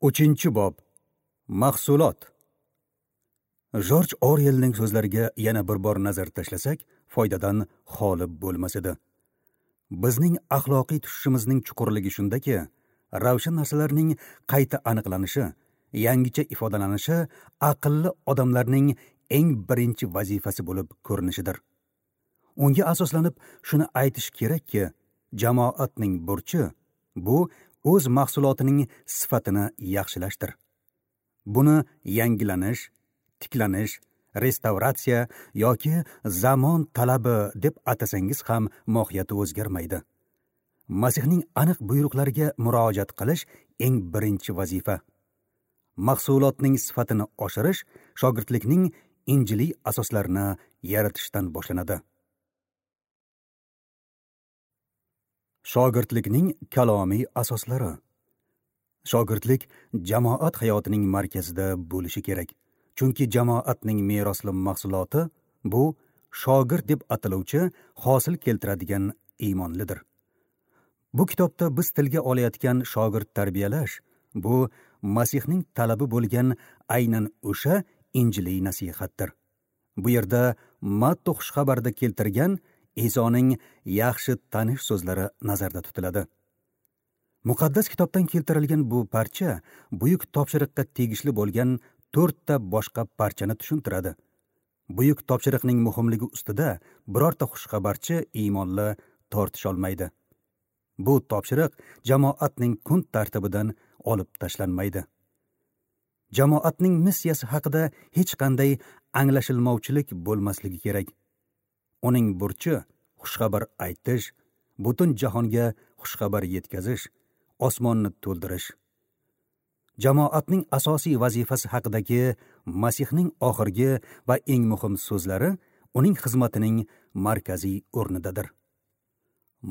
3-bob. Mahsulot. Jorj Orwellning so'zlariga yana bir bor nazar tashlasak, foydadan xoli bo'lmas edi. Bizning axloqiy tushishimizning chuqurligi shundaki, ravshan narsalarning qayta aniqlanishi, yangicha ifodalanishi aqlli odamlarning eng birinchi vazifasi bo'lib ko'rinishidir. Unga asoslanib shuni aytish kerakki, jamoatning burchi bu o'z mahsulotining sifatini yaxshilashdir. Buni yangilanish, tiklanish, restavratsiya yoki zamon talabi deb atasangiz ham mohiyati o'zgarmaydi. Masihning aniq buyruqlariga murojaat qilish eng birinchi vazifa. Mahsulotning sifatini oshirish shogirdlikning injiliy asoslarini yaratishdan boshlanadi. Shogirdlikning kalomiy asoslari. Shogirdlik jamoat hayotining markazida bo'lishi kerak. Chunki jamoatning merosli mahsuloti bu shogird deb ataluvchi hosil keltiradigan iymonlidir. Bu kitobda biz tilga olayotgan shogird tarbiyalash bu Masihning talabi bo'lgan aynan o'sha injiliy nasihatdir. Bu yerda Matto xushxabarida keltirgan Isoning yaxshi tanish so'zlari nazarda tutiladi. Muqaddas kitobdan keltirilgan bu parcha buyuk topshiriqqa tegishli bo'lgan 4 ta boshqa parchani tushuntiradi. Buyuk topshiriqning muhimligi ustida birorta xushxabarchi iymonli tortisha olmaydi. Bu topshiriq jamoatning kun tartibidan olib tashlanmaydi. Jamoatning missiyasi haqida hech qanday anglashilmovchilik bo'lmasligi kerak. Uning burchi xushxabar aytish, butun jahonga xushxabar yetkazish, osmonni to'ldirish. Jamoatning asosiy vazifasi haqidagi Masihning oxirgi va eng muhim so'zlari uning xizmatining markaziy o'rnidadir.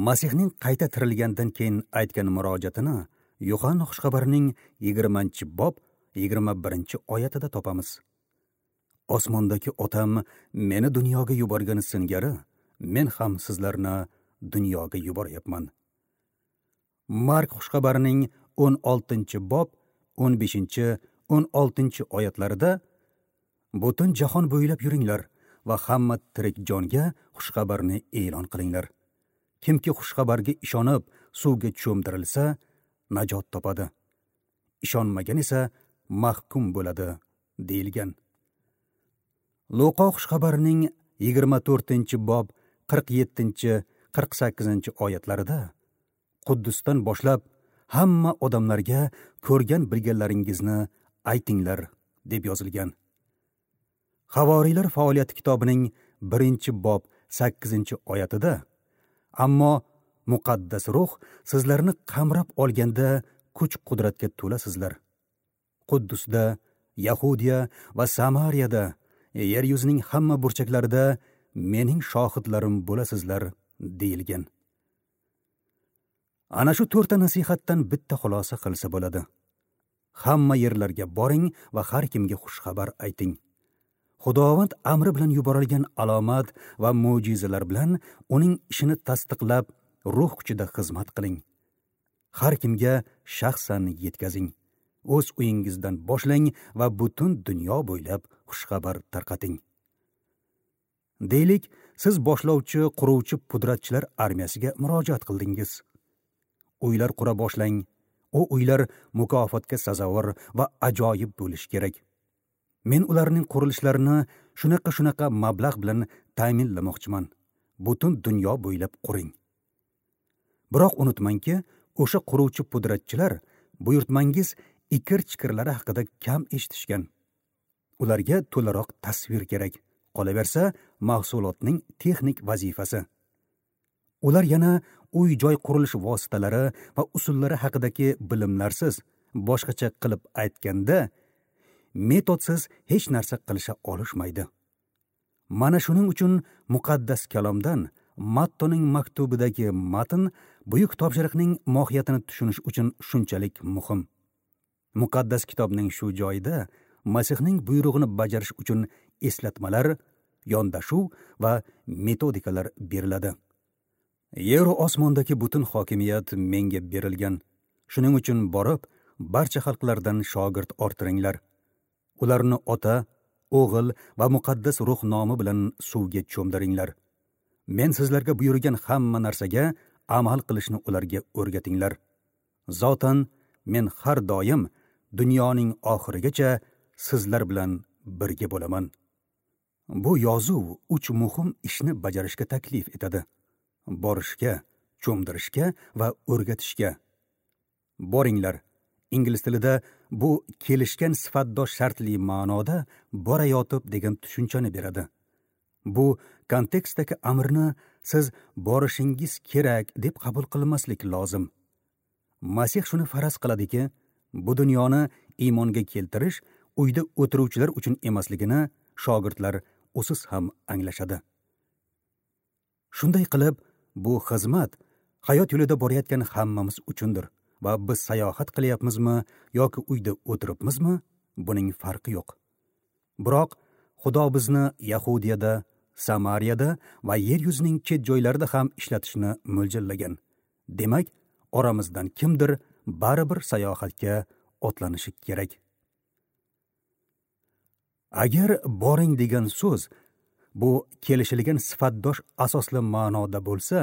Masihning qayta tirilgandan keyin aytgan murojaatini Yohanna xushxabarining 20-bob 21-oyatida topamiz. Osmondagi Otam meni dunyoga yuborgani singari, men ham sizlarni dunyoga yuboryapman. Mark xushxabarining 16-bob 15-16 oyatlarida butun jahon bo'ylab yuringlar va hamma tirik jonga xushxabarni e'lon qilinglar. Kimki xushxabarga ishonib suvga cho'mdirilsa, najot topadi. Ishonmagan esa mahkum bo'ladi, deyilgan. Luqo xushxabarining 24-bob 47-48 oyatlarida Quddusdan boshlab hamma odamlarga ko'rgan bilganlaringizni aytinglar deb yozilgan. Havoriylar faoliyati kitobining 1-bob 8-oyatida ammo muqaddas ruh sizlarni qamrab olganda kuch-qudratga to'lasizlar. Quddusda, Yahudiya va Samariyada, yer yuzining hamma burchaklarida mening shohidlarim bo'lasizlar, deyilgan. Ana shu 4 ta nasihatdan bitta xulosa qilsa bo'ladi. Hamma yerlarga boring va har kimga xushxabar ayting. Xudovand amri bilan yuborilgan alomat va mo'jizalar bilan uning ishini tasdiqlab, ruh kuchida xizmat qiling. Har kimga shaxsan yetkazing. O'z uyingizdan boshlang va butun dunyo bo'ylab xushxabar tarqating. Deylik, siz boshlovchi, quruvchi pudratchilar armiyasiga murojaat qildingiz. Uylar qura boshlang. U uylar mukofotga sazovor va ajoyib bo'lishi kerak. Men ularning qurilishlarini shunaqa mablag' bilan ta'minlamoqchiman. Butun dunyo bo'ylab quring. Biroq unutmangki, o'sha quruvchi pudratchilar buyurtmangiz ikir-chikirlari haqida kam eshitishgan. Ularga to'laroq tasvir kerak. Qolaversa, mahsulotning texnik vazifasi. Ular yana uy-joy qurilish vositalari va usullari haqidagi bilimlarsiz, boshqacha qilib aytganda, metodsiz hech narsa qilisha olishmaydi. Mana shuning uchun muqaddas kalomdan Mattoning maktubidagi matn buyuk topshiriqning mohiyatini tushunish uchun shunchalik muhim. Muqaddas kitobning shu joyida Masihning buyrug'ini bajarish uchun eslatmalar, yondashuv va metodikalar beriladi. Yer osmondagi butun hokimiyat menga berilgan. Shuning uchun borib, barcha xalqlardan shogird orttiringlar. Ularni Ota, O'g'il va Muqaddas Ruh nomi bilan suvga cho'mdiringlar. Men sizlarga buyurgan hamma narsaga amal qilishni ularga o'rgatinglar. Zotan men har doim dunyoning oxirigacha sizlar bilan birga bo'laman. Bu yozuv 3 muhim ishni bajarishga taklif etadi: borishga, cho'mdirishga va o'rgatishga. Boringlar. Ingliz tilida bu kelishgan sifatdosh shartli ma'noda borayotib degan tushunchani beradi. Bu kontekstdagi amrni siz borishingiz kerak deb qabul qilmaslik lozim. Masih shuni faraz qiladiki, bu dunyoni iymonga keltirish uyda o'tiruvchilar uchun emasligini shogirdlar o'siz ham anglashadi. Shunday qilib, bu xizmat hayot yo'lida borayotgan hammamiz uchundir va biz sayohat qilyapmizmi yoki uyda o'tiribmizmi, buning farqi yo'q. Biroq Xudo bizni Yahudiyada, Samariyada va yer yuzining chet joylarida ham ishlatishni mo'ljallagan. Demak, oramizdan kimdir baribir sayohatga otlanishi kerak. Agar boring degan so'z bu kelishilgan sifatdosh asosli ma'noda bo'lsa,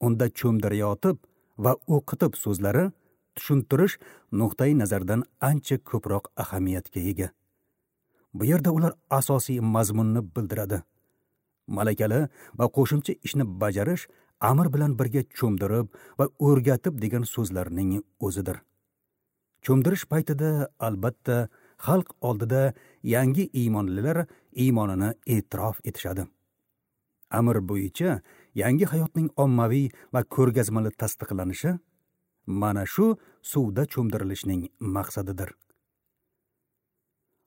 unda cho'mdirayotib va o'qitib so'zlari tushuntirish nuqtai nazaridan ancha ko'proq ahamiyatga ega. Bu yerda ular asosiy mazmunni bildiradi. Malakali va qo'shimcha ishni bajarish amr bilan birga cho'mdirib va o'rgatib degan so'zlarning o'zidir. Cho'mdirish paytida albatta xalq oldida yangi iymonlilar iymonini e'tirof etishadi. Amr bo'yicha yangi hayotning ommaviy va ko'rgazmali tasdiqlanishi mana shu suvda cho'mdirilishning maqsadidir.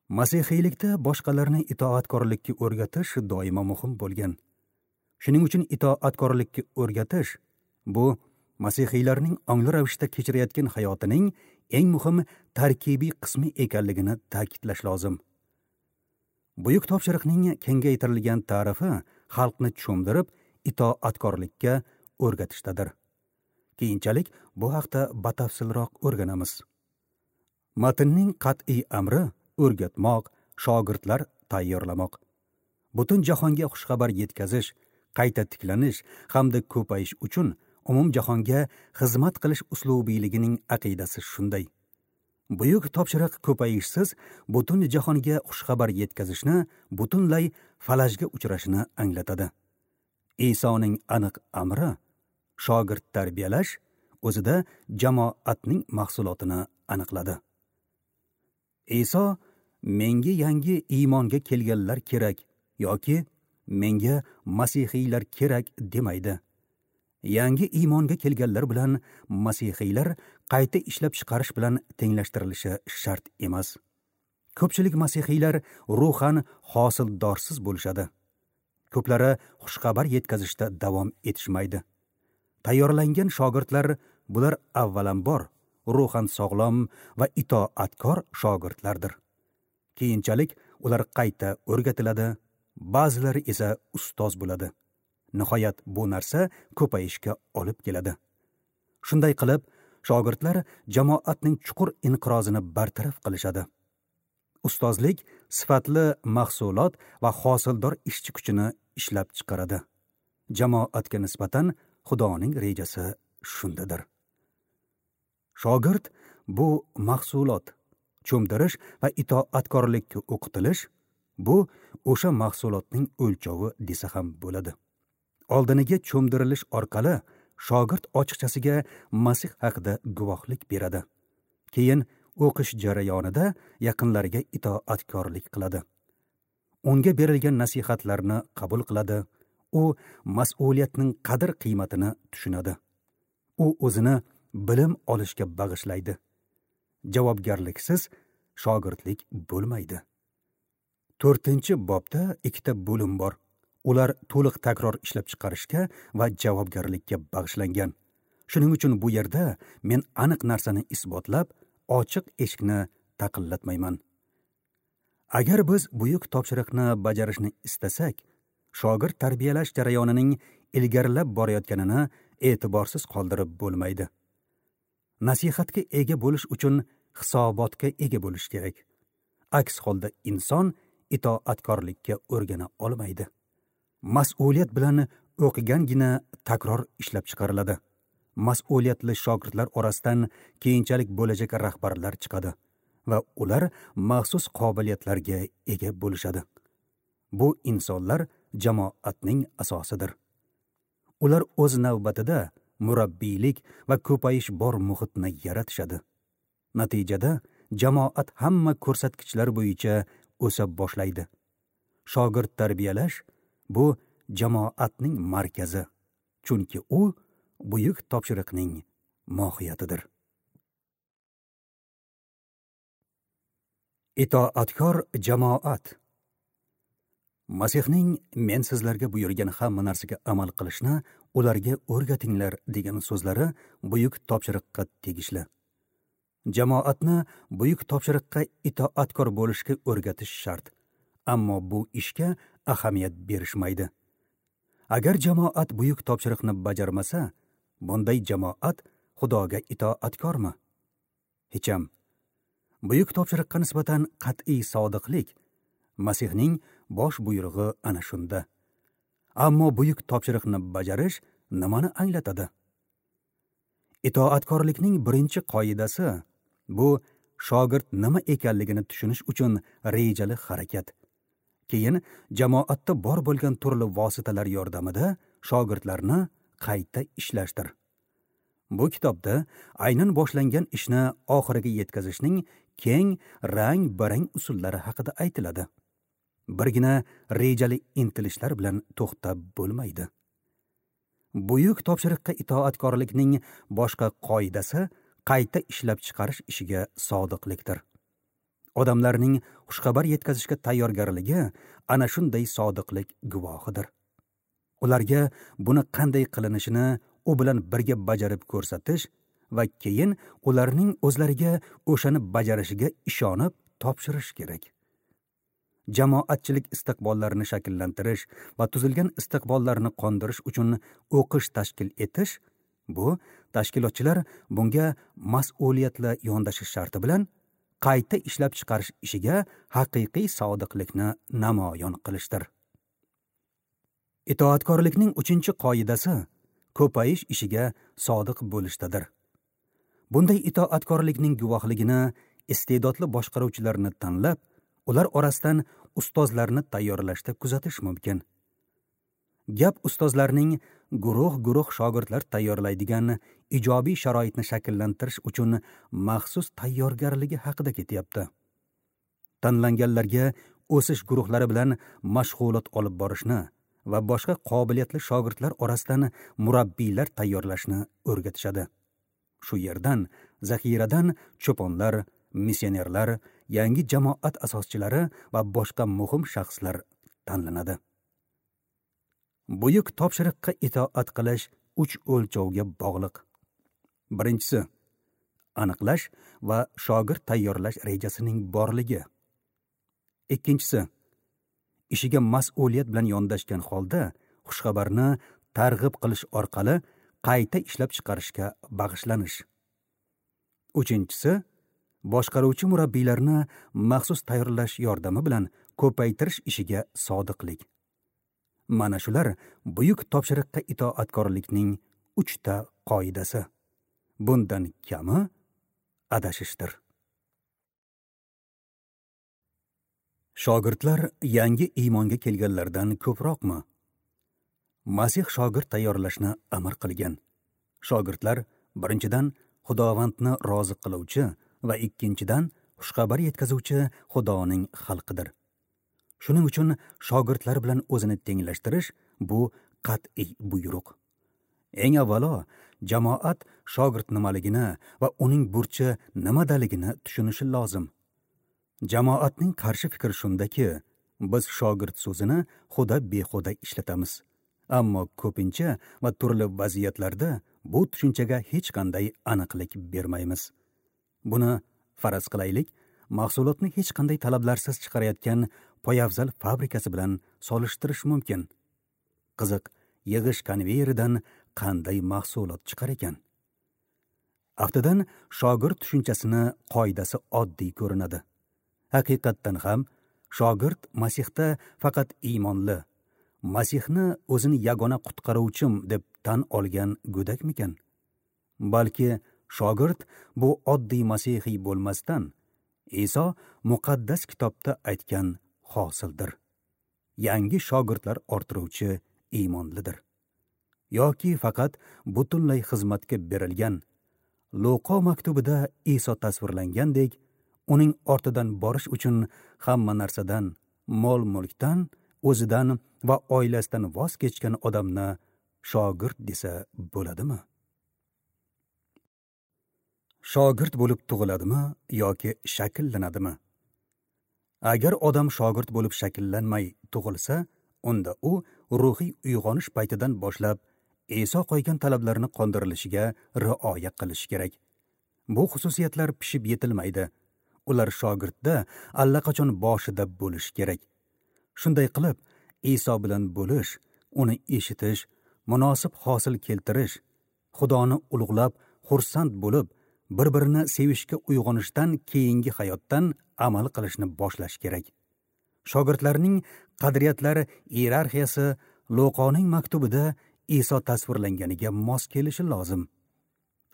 Masihiylikda boshqalarni itoatkorlikka o'rgatish doimo muhim bo'lgan. Shuning uchun itoatkorlikka o'rgatish bu masihiylarning ongli ravishda kechirayotgan hayotining eng muhim tarkibiy qismi ekanligini ta'kidlash lozim. Buyuk topshiriqning kengaytirilgan ta'rifi xalqni cho'mdirib itoatkorlikka o'rgatishdadir. Keyinchalik bu haqda batafsilroq o'rganamiz. Matnning qat'iy amri o'rgatmoq, shogirdlar tayyorlamoq. Butun jahonga xushxabar yetkazish, qayta tiklanish hamda ko'payish uchun umumjahonga xizmat qilish uslubiyligining aqidasi shunday. Buyuk topshiriq ko'payishsiz butun jahonga xushxabar yetkazishni butunlay falajga uchrashini anglatadi. Isoning aniq amri shogird tarbiyalash o'zida jamoatning mahsulotini aniqladi. Iso menga yangi iymonga kelganlar kerak yoki menga masihiylar kerak demaydi. Yangi iymonga kelganlar bilan masihiylar qayta ishlab chiqarish bilan tenglashtirilishi shart emas. Ko'pchilik masihiylar ruhan hosildorsiz bo'lishadi. Ko'plari xushxabar yetkazishda davom etishmaydi. Tayyorlangan shogirdlar bular avvalambor ruhan sog'lom va itoatkor shogirdlardir. Keyinchalik ular qayta o'rgatiladi, ba'zilari esa ustoz bo'ladi. Nihoyat bu narsa ko'payishga olib keladi. Shunday qilib, shogirdlar jamoatning chuqur inqirozini bartaraf qilishadi. Ustozlik sifatli mahsulot va hosildor ishchi kuchini ishlab chiqaradi. Jamoatga nisbatan Xudoning rejasi shundadir. Shogird bu mahsulot, cho'mdirish va itoatkorlikka o'qitilish bu o'sha mahsulotning o'lchovi desa ham bo'ladi. Oldiniga cho'mdirilish orqali shogird ochiqchasiga Masih haqida guvohlik beradi. Keyin o'qish jarayonida yaqinlariga itoatkorlik qiladi. Unga berilgan nasihatlarni qabul qiladi. U mas'uliyatning qadr-qiymatini tushunadi. U o'zini bilim olishga bag'ishlaydi. Javobgarliksiz shogirdlik bo'lmaydi. 4-bobda ikkita bo'lim bor. Ular to'liq takror ishlab chiqarishga va javobgarlikka bag'ishlangan. Shuning uchun bu yerda men aniq narsani isbotlab, ochiq eshikni taqillatmayman. Agar biz buyuk topshiriqni bajarishni istasak, shogird tarbiyalash jarayonining ilgarilab borayotganini e'tiborsiz qoldirib bo'lmaydi. Nasihatga ega bo'lish uchun hisobotga ega bo'lishi kerak. Aks holda inson itoatkorlikka o'rgana olmaydi. Mas'uliyat bilan o'qigangina takror ishlab chiqariladi. Mas'uliyatli shogirdlar orasidan keyinchalik bo'lajak rahbarlar chiqadi va ular maxsus qobiliyatlarga ega bo'lishadi. Bu insonlar jamoatning asosidir. Ular o'z navbatida murabbiylik va ko'payish bor muhitni yaratishadi. Natijada jamoat hamma ko'rsatkichlar bo'yicha o'sa boshlaydi. Shogird tarbiyalash bu jamoatning markazi, chunki u buyuk topshiriqning mohiyatidir. Itoatkor jamoat. Masihning men sizlarga buyurgan hamma narsaga amal qilishni ularga o'rgatinglar degan so'zlari buyuk topshiriqqa tegishli. Jamoatni buyuk topshiriqqa itoatkor bo'lishga o'rgatish shart, ammo bu ishga ahamiyat berishmaydi. Agar jamoat buyuk topshiriqni bajarmasa, bunday jamoat Xudoga itoatkormi? Hecham. Buyuk topshiriqqa nisbatan qat'iy sodiqlik Masihning bosh buyrug'i ana shunda. Ammo buyuk topshiriqni bajarish nimani anglatadi? Itoatkorlikning birinchi qoidasi bu shogird nima ekanligini tushunish uchun rejali harakat. Keyin jamoatda bor bo'lgan turli vositalar yordamida shogirdlarni qayta ishlashdir. Bu kitobda aynan boshlangan ishni oxiriga yetkazishning keng rang-barang usullari haqida aytiladi. Birgina rejali intilishlar bilan to'xtab bo'lmaydi. Buyuk topshiriqqa itoatkorlikning boshqa qoidasi qayta ishlab chiqarish ishiga sodiqlikdir. Odamlarning xushxabar yetkazishga tayyorgarligi ana shunday sodiqlik guvohidir. Ularga buni qanday qilinishini u bilan birga bajarib ko'rsatish va keyin ularning o'zlariga o'shani bajarishiga ishonib topshirish kerak. Jamoatchilik istiqbollarini shakllantirish va tuzilgan istiqbollarni qondirish uchun o'qish tashkil etish bu tashkilotchilar bunga mas'uliyatli yondashish sharti bilan qayta ishlab chiqarish ishiga haqiqiy sodiqlikni namoyon qilishdir. Itoatkorlikning 3-qoidasi ko'payish ishiga sodiq bo'lishdadir. Bunday itoatkorlikning guvohligini iste'dodli boshqaruvchilarni tanlab, ular orasidan ustozlarni tayyorlashda kuzatish mumkin. Gap ustozlarning guruh-guruh shogirdlar tayyorlaydigan ijobiy sharoitni shakllantirish uchun maxsus tayyorgarligi haqida ketyapti. Tanlanganlarga o'sish guruhlari bilan mashg'ulot olib borishni va boshqa qobiliyatli shogirdlar orasidan murabbiylar tayyorlashni o'rgatishadi. Shu yerdan, zaxiradan cho'ponlar, missionerlar, yangi jamoat asoschilari va boshqa muhim shaxslar tanlanadi. Buyuk topshiriqqa itoat qilish 3 o'lchovga bog'liq. Birinchisi, aniqlash va shogird tayyorlash rejasining borligi. Ikkinchisi, ishiga mas'uliyat bilan yondashgan holda xushxabarni targ'ib qilish orqali qayta ishlab chiqarishga bag'ishlanish. Uchinchisi, boshqaruvchi murabbiylarni maxsus tayyorlash yordami bilan ko'paytirish ishiga sodiqlik. Mana shular buyuk topshiriqqa itoatkorlikning 3 ta qoidasi. Bundan kami adashishdir. Shogirdlar yangi iymonga kelganlardan ko'proqmi? Masih shogird tayyorlashni amr qilgan. Shogirdlar birinchidan Xudovandni rozi qiluvchi va ikkinchidan xushxabar yetkazuvchi Xudoning xalqidir. Shuning uchun shogirdlar bilan o'zini tenglashtirish bu qat'iy buyruq. Eng avvalo jamoat shogird nimaligini va uning burchi nimadaligini tushunishi lozim. Jamoatning qarshi fikri shundaki, biz shogird so'zini xudo behuda ishlatamiz. Ammo ko'pincha va turli vaziyatlarda bu tushunchaga hech qanday aniqlik bermaymiz. Buni faraz qilaylik, mahsulotni hech qanday talablarsiz chiqarayotgan poyafzal fabrikasi bilan solishtirish mumkin. Qiziq, yig'ish konveyeridan qanday mahsulot chiqar ekan? Aftidan shogird tushunchasini qoidasi oddiy ko'rinadi. Haqiqatdan ham shogird Masihda faqat iymonli, Masihni o'zini yagona qutqaruvchim deb tan olgan go'dakmikan? Balki shogird bu oddiy masihiy bo'lmasdan, Iso muqaddas kitobda aytgan hosildir. Yangi shogirdlar orttiruvchi iymonlidir. Yoki faqat butunlay xizmatga berilgan, Luqo maktubida Iso tasvirlangandek, uning ortidan borish uchun hamma narsadan, mol-mulkdan, o'zidan va oilasidan voz kechgan odamni shogird desa bo'ladimi? Shogird bo'lib tug'iladimi yoki shakllanadimi? Agar odam shogird bo'lib shakllanmay tug'ilsa, unda u ruhiy uyg'onish paytidan boshlab Iso qo'ygan talablarni qondirilishiga rioya qilish kerak. Bu xususiyatlar pishib yetilmaydi. Ular shogirdda allaqachon boshida bo'lishi kerak. Shunday qilib, Iso bilan bo'lish, uni eshitish, munosib hosil keltirish, Xudoni ulug'lab, xursand bo'lib, bir-birini sevishga uyg'onishdan keyingi hayotdan amal qilishni boshlash kerak. Shogirdlarning qadriyatlari iyerarxiyasi Luqoning maktubida Iso tasvirlanganiga mos kelishi lozim.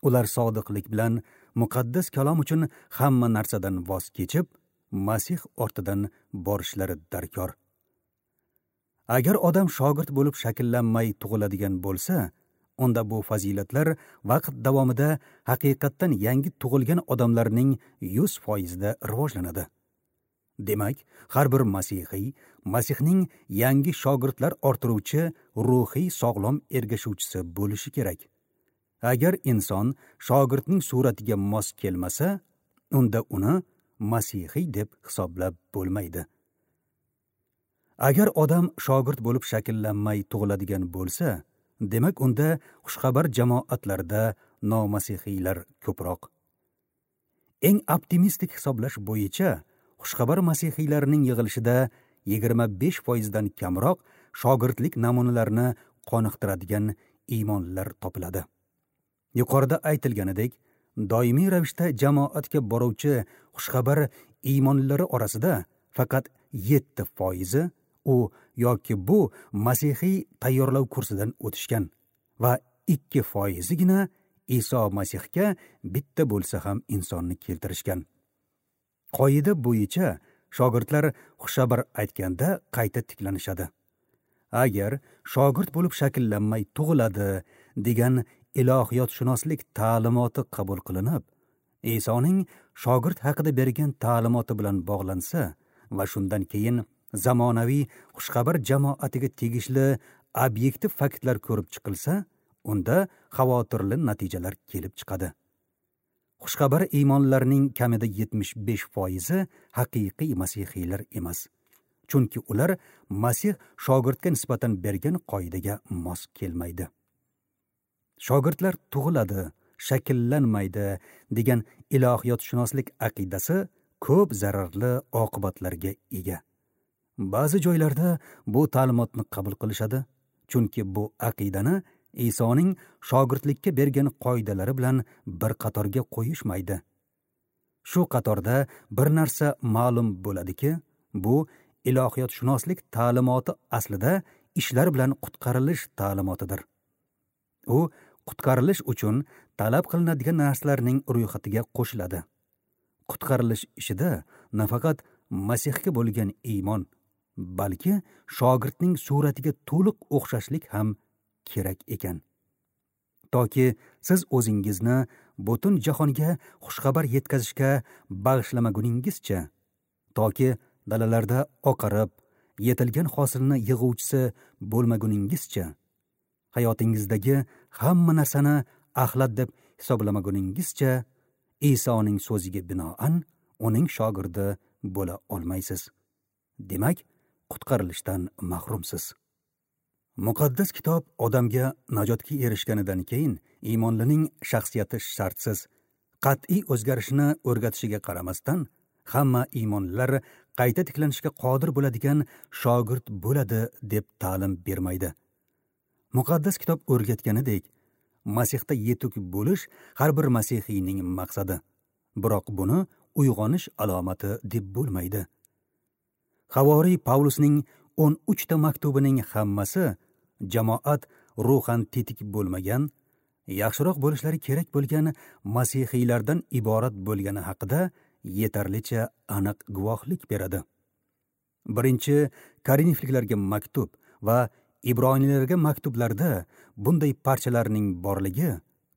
Ular sodiqlik bilan muqaddas kalom uchun hamma narsadan voz kechib, Masih ortidan borishlari darkor. Agar odam shogird bo'lib shakllanmay tug'iladigan bo'lsa, unda bu fazilatlar vaqt davomida haqiqatdan yangi tug'ilgan odamlarning 100% rivojlanadi. Demak, har bir masihiy Masihning yangi shogirdlar orttiruvchi ruhiy sog'lom ergashuvchisi bo'lishi kerak. Agar inson shogirdning suratiga mos kelmasa, unda uni masihiy deb hisoblab bo'lmaydi. Agar odam shogird bo'lib shakllanmay tug'iladigan bo'lsa, demak unda xushxabar jamoatlarda nomasihiylar ko'proq. Eng optimistik hisoblash bo'yicha xushxabar masihiylarning yig'ilishida 25% dan kamroq shogirdlik namunalarini qoniqtiradigan iymonlilar topiladi. Yuqorida aytilganidek, doimiy ravishda jamoatga boruvchi xushxabar iymonlilari orasida faqat 7% u yoki bu masihiy tayyorlov kursidan o'tishgan va 2%gina Iso Masihga bitta bo'lsa ham insonni keltirishgan. Qoida bo'yicha shogirdlar xushxabar aytganda qayta tiklanishadi. Agar shogird bo'lib shakllanmay tug'iladi degan ilohiyotshunoslik ta'limoti qabul qilinib, Isoning shogird haqida bergan ta'limoti bilan bog'lansa va shundan keyin zamonaviy xushxabar jamoatiga tegishli obyektiv faktlar ko'rib chiqilsa, unda xavotirli natijalar kelib chiqadi. Xushxabar iymonlarning kamida 75% haqiqiy masihiylar emas. Chunki ular Masih shogirdga nisbatan bergan qoidaga mos kelmaydi. Shogirdlar tug'iladi, shakllanmaydi degan ilohiyotshunoslik aqidasi ko'p zararli oqibatlarga ega. Ba'zi joylarda bu ta'limotni qabul qilishadi, chunki bu aqidani Isoning shogirdlikka bergan qoidalari bilan bir qatorga qo'yishmaydi. Shu qatorda bir narsa ma'lum bo'ladiki, bu ilohiyotshunoslik ta'limoti aslida ishlar bilan qutqarilish ta'limotidir. U qutqarilish uchun talab qilinadigan narsalarning ro'yxatiga qo'shiladi. Qutqarilish ishida nafaqat Masihga bo'lgan iymon, balki shogirdning suratiga to'liq o'xshashlik ham kerak ekan. Toki siz o'zingizni butun jahonga xushxabar yetkazishga bag'ishlamaguningizcha, toki dalalarda oqarib, yetilgan hosilni yig'uvchisi bo'lmaguningizcha, hayotingizdagi hamma narsani axlat deb hisoblamaguningizcha, Isoning so'ziga binoan uning shogirdi bo'la olmaysiz. Demak, qutqarilishdan mahrumsiz. Muqaddas kitob odamga najotga erishganidan keyin iymonlining shaxsiyati shartsiz, qat'iy o'zgarishini o'rgatishiga qaramasdan, hamma iymonlilar qayta tiklanishga qodir bo'ladigan shogird bo'ladi deb ta'lim bermaydi. Muqaddas kitob o'rgatganidek, Masihda yetuk bo'lish har bir masihiyning maqsadi. Biroq buni uyg'onish alomati deb bo'lmaydi. Havoriy Pavlusning 13 ta maktubining hammasi jamoat ruhan tetik bo'lmagan, yaxshiroq bo'lishlari kerak bo'lgan masihiylardan iborat bo'lgani haqida yetarlicha aniq guvohlik beradi. Birinchi Korinfliklarga maktub va Ibroniylarga maktublarda bunday parchalarning borligi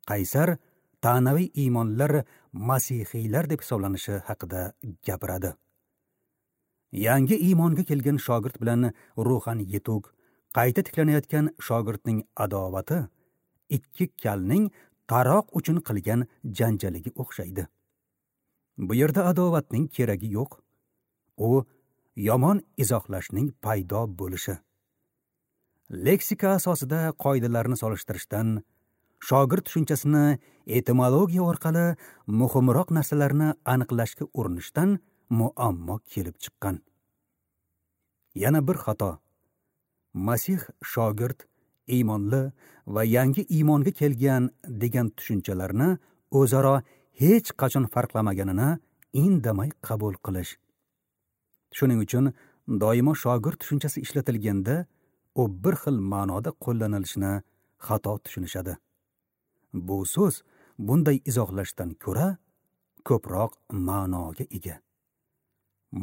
qaysar ta'naviy iymonlar masihiylar deb hisoblanishi haqida gapiradi. Yangi iymonga kelgan shogird bilan ruhan yetuk, qayta tiklanayotgan shogirdning adovati ikki kalning taroq uchun qilgan janjaliga o'xshaydi. Bu yerda adovatning keragi yo'q. U yomon izohlashning paydo bo'lishi. Leksika asosida qoidalarni solishtirishdan, shogird tushunchasini etimologiya orqali muhimroq narsalarni aniqlashga urinishdan muammo kelib chiqqan. Yana bir xato. Masih shogird, iymonli va yangi iymonga kelgan degan tushunchalarni o'zaro hech qachon farqlamaganini indamay qabul qilish. Shuning uchun doimo shogird tushunchasi ishlatilganda u bir xil ma'noda qo'llanilishini xato tushunishadi. Bu so'z bunday izohlashdan ko'ra ko'proq ma'noga ega.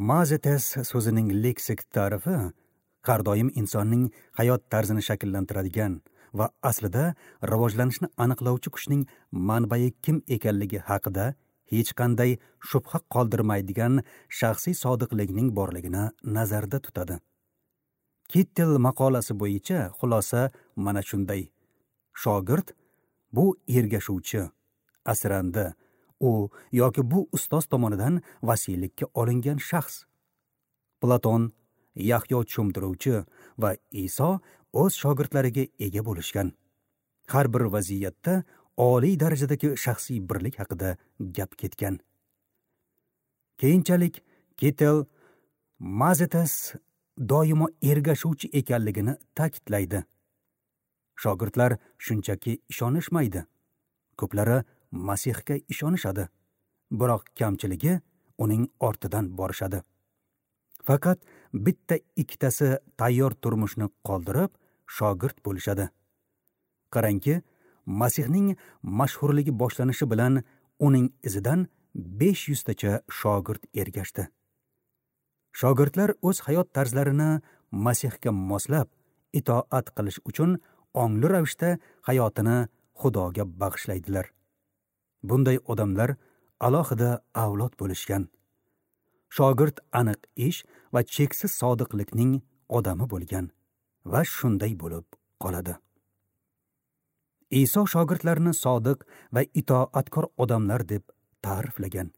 Mazetes so'zining leksik ta'rifi har doim insonning hayot tarzini shakllantiradigan va aslida rivojlanishni aniqlovchi kuchning manbai kim ekanligi haqida hech qanday shubha qoldirmaydigan shaxsiy sodiqlikning borligini nazarda tutadi. Kittel maqolasi bo'yicha xulosa mana shunday. Shogird bu ergashuvchi, asrandi, u yoki bu ustoz tomonidan vasiylikka olingan shaxs. Platon, Yahyo cho'mdiruvchi va Iso o'z shogirdlariga ega bo'lishgan. Har bir vaziyatda oliy darajadagi shaxsiy birlik haqida gap ketgan. Keyinchalik Kittel Mazetes doimo ergashuvchi ekanligini ta'kidlaydi. Shogirdlar shunchaki ishonishmaydi. Ko'plari Masihga ishonishadi, biroq kamchiligi uning ortidan borishadi. Faqat bitta ikkitasi tayyor turmushni qoldirib, shogird bo'lishadi. Qarangki, Masihning mashhurligi boshlanishi bilan uning izidan 500 tacha shogird ergashdi. Shogirdlar o'z hayot tarzlarini Masihga moslab, itoat qilish uchun ongli ravishda hayotini Xudoga bag'ishlaydilar. Bunday odamlar alohida avlod bo'lishgan. Shogird aniq ish va cheksiz sodiqlikning odami bo'lgan va shunday bo'lib qoladi. Iso shogirdlarini sodiq va itoatkor odamlar deb ta'riflagan.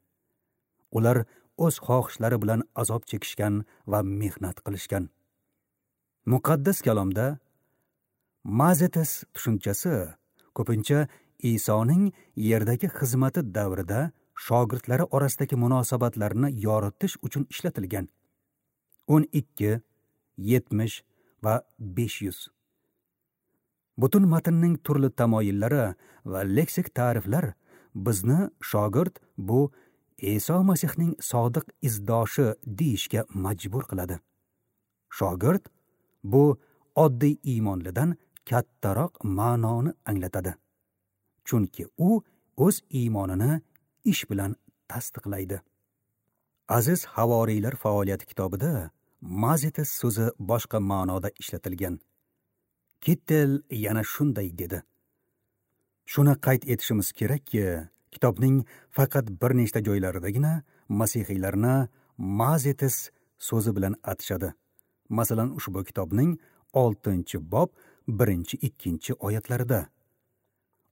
Ular o'z xohishlari bilan azob chekishgan va mehnat qilishgan. Muqaddas kalomda Mazetes tushunchasi ko'pincha Isoning yerdagi xizmati davrida shogirdlari orasidagi munosabatlarni yoritish uchun ishlatilgan. 12, 70 va 500. Butun matnning turli tamoyillari va leksik ta'riflar bizni shogird bu Iso Masihning sodiq izdoshi deyishga majbur qiladi. Shogird bu oddiy iymonlidan kattaroq ma'noni anglatadi. Chunki u o'z iymonini ish bilan tasdiqlaydi. Aziz havoriylar faoliyati kitobida Mazetes so'zi boshqa ma'noda ishlatilgan. Kittel yana shunday dedi. Shuni qayd etishimiz kerakki, kitobning faqat bir nechta joylaridagina masihiylarni Mazetes so'zi bilan atishadi. Masalan, ushbu kitobning 6-bob 1-2 oyatlarida.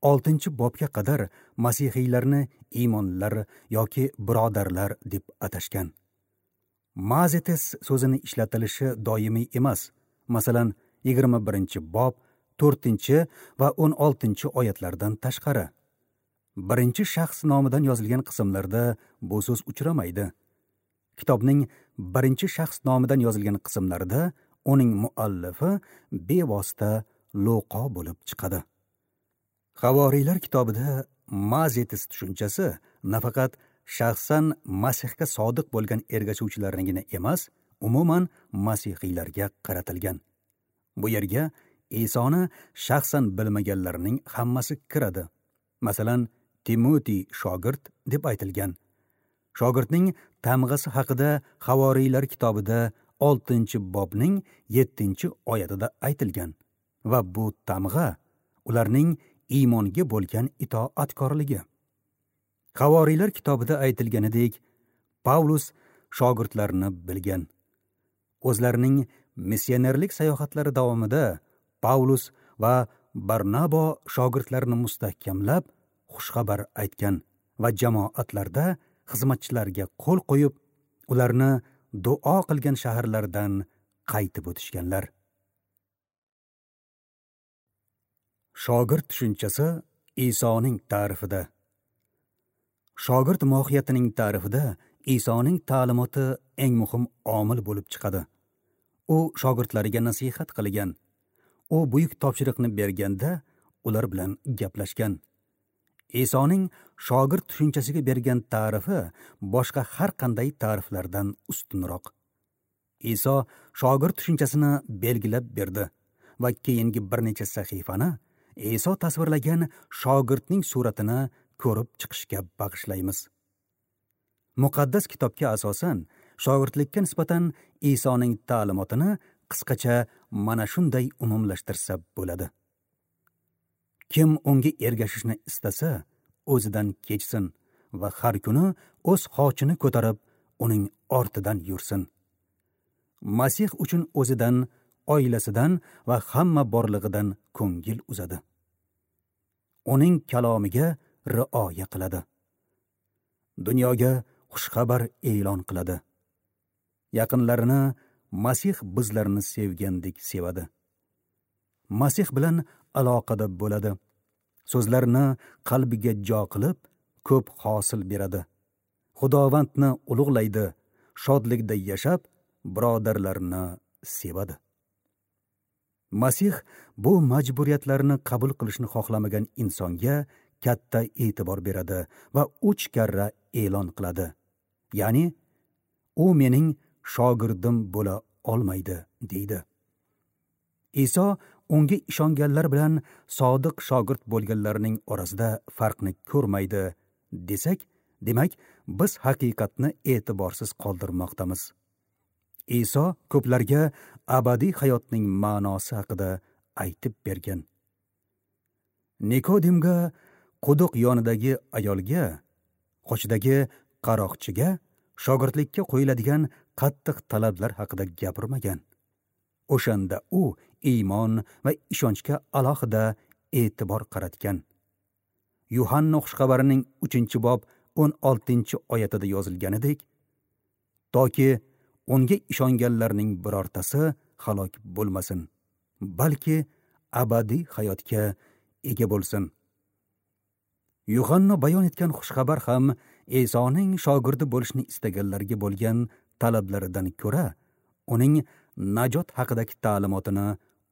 6-bobga qadar masihiylarni iymonlar yoki birodarlar deb atashgan. Mazetes so'zini ishlatilishi doimiy emas. Masalan, 21-bob 4 va 16 oyatlardan tashqari. Birinchi shaxs nomidan yozilgan qismlarda bu so'z uchramaydi. Kitobning birinchi shaxs nomidan yozilgan qismlarida uning muallifi bevosita Luqo bo'lib chiqadi. Havoriylar kitobida mazetis tushunchasi nafaqat shaxsan Masihga sodiq bo'lgan ergashuvchilarnigina emas, umuman masihiylarga qaratilgan. Bu yerga Isoni shaxsan bilmaganlarning hammasi kiradi. Masalan, Timoti shogird deb aytilgan. Shogirdning tamg'asi haqida Havoriylar kitobida 6-bobning 7-oyatida aytilgan va bu tamg'a ularning iymonga bo'lgan itoatkorligi. Havoriylar kitobida aytilganidek, Pavlus shogirdlarni bilgan. O'zlarining missionerlik sayohatlari davomida Pavlus va Barnabo shogirdlarini mustahkamlab, xushxabar aytgan va jamoatlarda xizmatchilarga qo'l qo'yib, ularni duo qilgan shaharlardan qaytib o'tishganlar. Shogird tushunchasi Isoning ta'rifida. Shogird mohiyatining ta'rifida Isoning ta'limoti eng muhim omil bo'lib chiqadi. U shogirdlariga nasihat qilgan. U buyuk topshiriqni berganda ular bilan gaplashgan. Isoning shogird tushunchasiga bergan ta'rifi boshqa har qanday ta'riflardan ustunroq. Iso shogird tushunchasini belgilab berdi va keyingi bir necha sahifani Iso tasvirlagan shogirdning suratini ko'rib chiqishga bag'ishlaymiz. Muqaddas kitobga asosan shogirdlikka nisbatan Isoning ta'limotini qisqacha mana shunday umumlashtirsa bo'ladi. Kim unga ergashishni istasa, o'zidan kechsin va har kuni o'z xochini ko'tarib, uning ortidan yursin. Masih uchun o'zidan, oilasidan va hamma borlig'idan ko'ngil uzadi. Uning kalomiga rioya qiladi. Dunyoga xushxabar e'lon qiladi. Yaqinlarini Masih bizlarni sevgandek sevadi. Masih bilan aloqada bo'ladi. So'zlarini qalbiga jo qilib, ko'p hosil beradi. Xudovandni ulug'laydi, shodlikda yashab, birodarlarini sevadi. Masih bu majburiyatlarni qabul qilishni xohlamagan insonga katta e'tibor beradi va 3 karra e'lon qiladi. Ya'ni, u mening shogirdim bo'la olmaydi, deydi. Iso unga ishonganlar bilan sodiq shogird bo'lganlarning orasida farqni ko'rmaydi desak, demak, biz haqiqatni e'tiborsiz qoldirmoqdamiz. Iso ko'plarga abadiy hayotning ma'nosi haqida aytib bergan. Nikodimga, quduq yonidagi ayolga, qochidagi qaroqchiga shogirdlikka qo'yiladigan qattiq talablar haqida gapirmagan. O'shanda u iymon va ishonchga alohida e'tibor qaratgan. Yuhanna xushxabarining 3-bob 16-oyatida yozilganidek, toki unga ishonganlarning birortasi halok bo'lmasin, balki abadiy hayotga ega bo'lsin. Yuhanna bayon etgan xushxabar ham Isoning shogirdi bo'lishni istaganlarga bo'lgan talablaridan ko'ra, uning najot haqidagi ta'limotini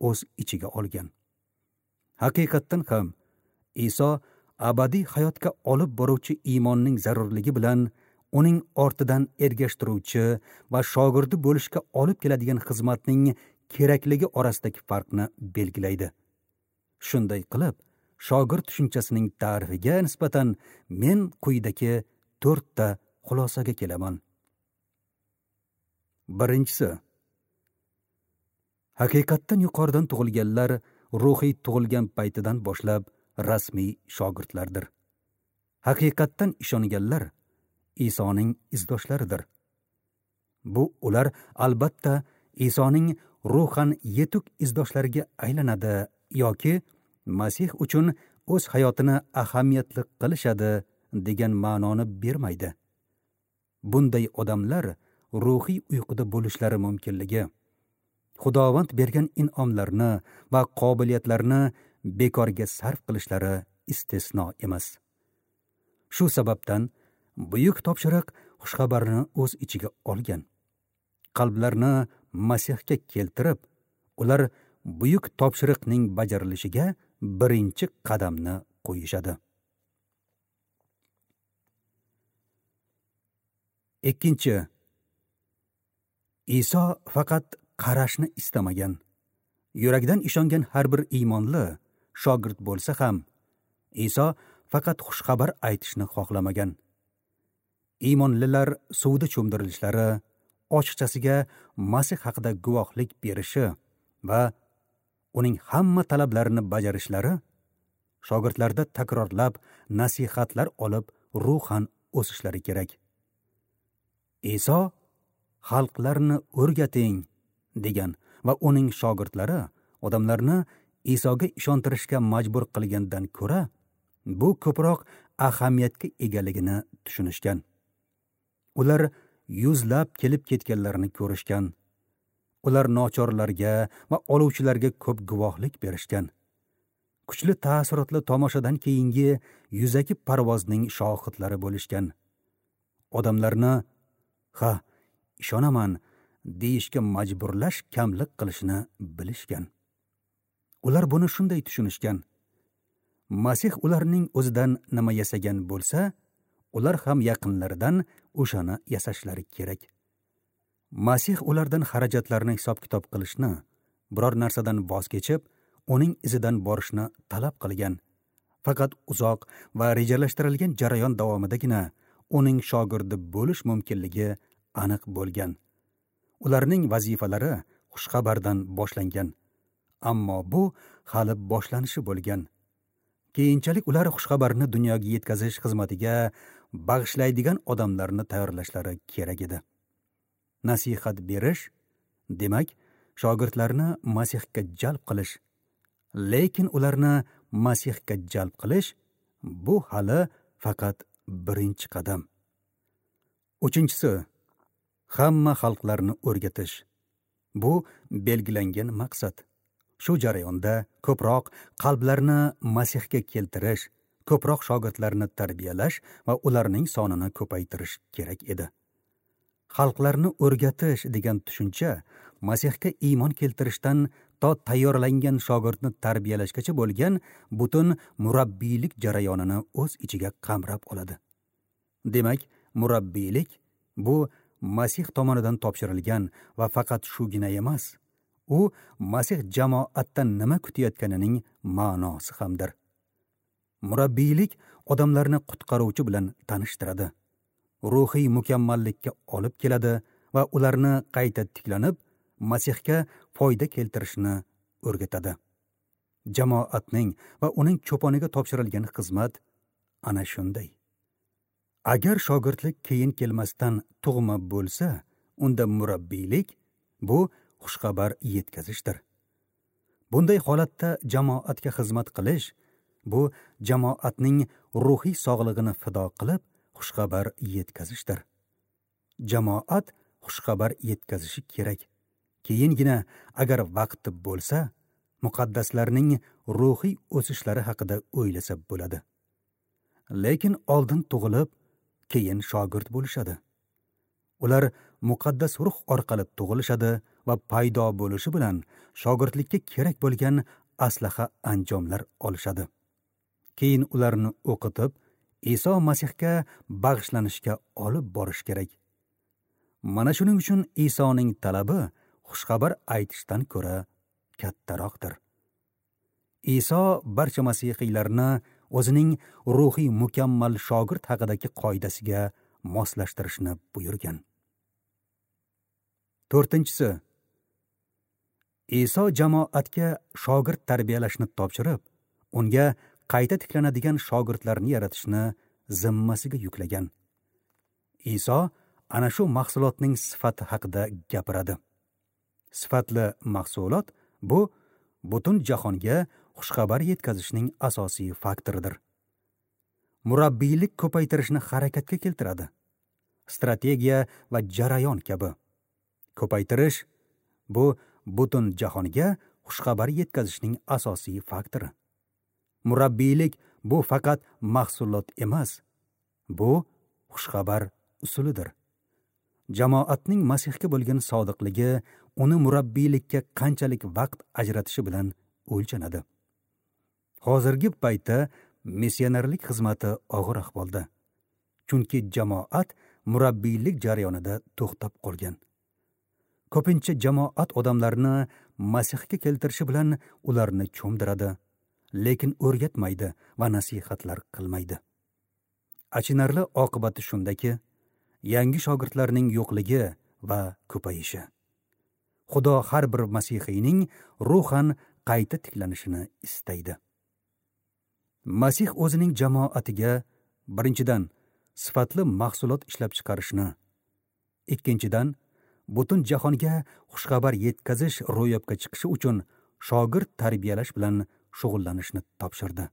o'z ichiga olgan. Haqiqatdan ham Iso abadiy hayotga olib boruvchi iymonning zarurligi bilan uning ortidan ergashtiruvchi va shogirdi bo'lishga olib keladigan xizmatning kerakligi orasidagi farqni belgilaydi. Shunday qilib, shogird tushunchasining ta'rifiga nisbatan men quyidagi 4 ta xulosaga kelaman. Birinchisi, haqiqatdan yuqoridan tug'ilganlar ruhiy tug'ilgan paytidan boshlab rasmiy shogirdlardir. Haqiqatdan ishonganlar Isoning izdoshlaridir. Bu ular albatta Isoning ruhan yetuk izdoshlariga aylanadi yoki Masih uchun o'z hayotini ahamiyatli qilishadi degan ma'noni bermaydi. Bunday odamlar ruhiy uyquda bo'lishlari mumkinligi, Xudovand bergan in'omlarni va qobiliyatlarni bekorga sarf qilishlari istisno emas. Shu sababdan buyuk topshiriq xushxabarni o'z ichiga olgan. Qalblarni Masihga keltirib, ular buyuk topshiriqning bajarilishiga birinchi qadamni qo'yishadi. Ikkinchi, Iso faqat qarashni istamagan. Yuragidan ishongan har bir iymonli shogird bo'lsa ham, Iso faqat xushxabar aytishni xohlamagan. Iymonlilar suvda cho'mdirilishlari, ochiqchasiga Masih haqida guvohlik berishi va uning hamma talablarini bajarishlari shogirdlarda takrorlab nasihatlar olib ruhan o'sishlari kerak. Iso xalqlarni o'rgating degan va uning shogirdlari odamlarni Isoga ishontirishga majbur qilgandan ko'ra bu ko'proq ahamiyatga egaligini tushunishgan. Ular yuzlab kelib ketganlarini ko'rishgan. Ular nochorlarga va oluvchilarga ko'p guvohlik berishgan. Kuchli ta'sirotli tomoshadan keyingi yuzaki parvozning shohidlari bo'lishgan. Odamlarni "Ha, ishonaman" deyishga majburlash kamlik qilishini bilishgan. Ular buni shunday tushunishgan. Masih ularning o'zidan nima yasagan bo'lsa, ular ham yaqinlaridan o'shani yasashlari kerak. Masih ulardan xarajatlarni hisob-kitob qilishni, biror narsadan voz kechib, uning izidan borishni talab qilgan. Faqat uzoq va rejalashtirilgan jarayon davomidagina uning shogirdi bo'lish mumkinligi aniq bo'lgan. Ularning vazifalari xushxabardan boshlangan. Ammo bu hali boshlanishi bo'lgan. Keyinchalik ular xushxabarni dunyoga yetkazish xizmatiga bag'ishlaydigan odamlarni tayyorlashlari kerak edi. Nasihat berish, demak, shogirdlarni Masihga jalb qilish. Lekin ularni Masihga jalb qilish bu hali faqat birinchi qadam. Uchinchisi, hamma xalqlarni o'rgatish. Bu belgilangan maqsad. Shu jarayonda ko'proq qalblarni Masihga keltirish, ko'proq shogirdlarni tarbiyalash va ularning sonini ko'paytirish kerak edi. Xalqlarni o'rgatish degan tushuncha Masihga iymon keltirishdan to tayyorlangan shogirdni tarbiyalashgacha bo'lgan butun murabbiylik jarayonini o'z ichiga qamrab oladi. Demak, murabbiylik bu Masih tomonidan topshirilgan va faqat shugina emas, u Masih jamoatdan nima kutayotganining ma'nosi hamdir. Murabbiylik odamlarni qutqaruvchi bilan tanishtiradi, ruhiy mukammallikka olib keladi va ularni qayta tiklanib, Masihga foyda keltirishni o'rgatadi. Jamoatning va uning cho'poniga topshirilgan xizmat ana shunday. Agar shogirdlik keyin kelmasdan tug'ma bo'lsa, unda murabbiylik bu xushxabar yetkazishdir. Bunday holatda jamoatga xizmat qilish bu jamoatning ruhiy sog'lig'ini fido qilib xushxabar yetkazishdir. Jamoat xushxabar yetkazishi kerak. Keyingina agar vaqti bo'lsa, muqaddaslarning ruhiy o'sishlari haqida o'ylasa bo'ladi. Lekin oldin tug'ilib, keyin shogird bo'lishadi. Ular muqaddas ruh orqali tug'ilishadi va paydo bo'lishi bilan shogirdlikka kerak bo'lgan aslaha anjomlar olishadi. Keyin ularni o'qitib, Iso Masihga bag'ishlanishga olib borish kerak. Mana shuning uchun Isoning talabi xushxabar aytishdan ko'ra kattaroqdir. Iso barcha masihiylarni o'zining ruhiy mukammal shogird haqidagi qoidasiga moslashtirishni buyurgan. To'rtinchisi, Iso jamoatga shogird tarbiyalashni topshirib, unga qayta tiklanadigan shogirdlarni yaratishni zimmasiga yuklagan. Iso ana shu mahsulotning sifati haqida gapiradi. Sifatli mahsulot bu butun jahonga xushxabar yetkazishning asosiy faktoridir. Murabbiylik ko'paytirishni harakatga keltiradi. Strategiya va jarayon kabi. Ko'paytirish bu butun jahonga xushxabar yetkazishning asosiy faktori. Murabbiylik bu faqat mahsulot emas, bu xushxabar usulidir. Jamoatning Masihga bo'lgan sodiqligi uni murabbiylikka qanchalik vaqt ajratishi bilan o'lchanadi. Hozirgi paytda missionerlik xizmati og'ir ahvolda. Chunki jamoat murabbiylik jarayonida to'xtab qolgan. Ko'pincha jamoat odamlarni Masihga keltirishi bilan ularni cho'mdiradi, lekin o'rgatmaydi va nasihatlar qilmaydi. Achinarli oqibati shundaki, yangi shogirdlarning yo'qligi va ko'payishi. Xudo har bir masihiyning ruhan qayta tiklanishini istaydi. Masih o'zining jamoatiga birinchidan sifatli mahsulot ishlab chiqarishni, ikkinchidan butun jahonga xushxabar yetkazish ro'yobga chiqishi uchun shogird tarbiyalash bilan shug'ullanishni topshirdi.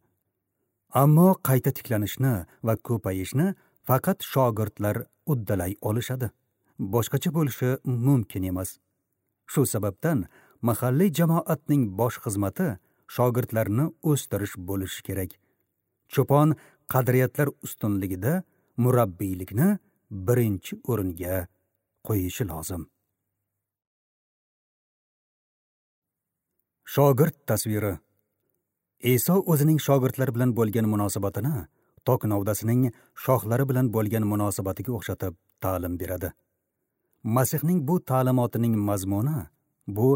Ammo qayta tiklanishni va ko'payishni faqat shogirdlar uddalay olishadi. Boshqacha bo'lishi mumkin emas. Shu sababdan mahalliy jamoatning bosh xizmati shogirdlarni o'stirish bo'lishi kerak. Cho'pon qadriyatlar ustunligida murabbiylikni birinchi o'ringa qo'yishi lozim. Shogird tasviri. Iso o'zining shogirdlar bilan bo'lgan munosabatini tok novdasining shoxlari bilan bo'lgan munosabatiga o'xshatib ta'lim beradi. Masihning bu ta'limotining mazmuni bu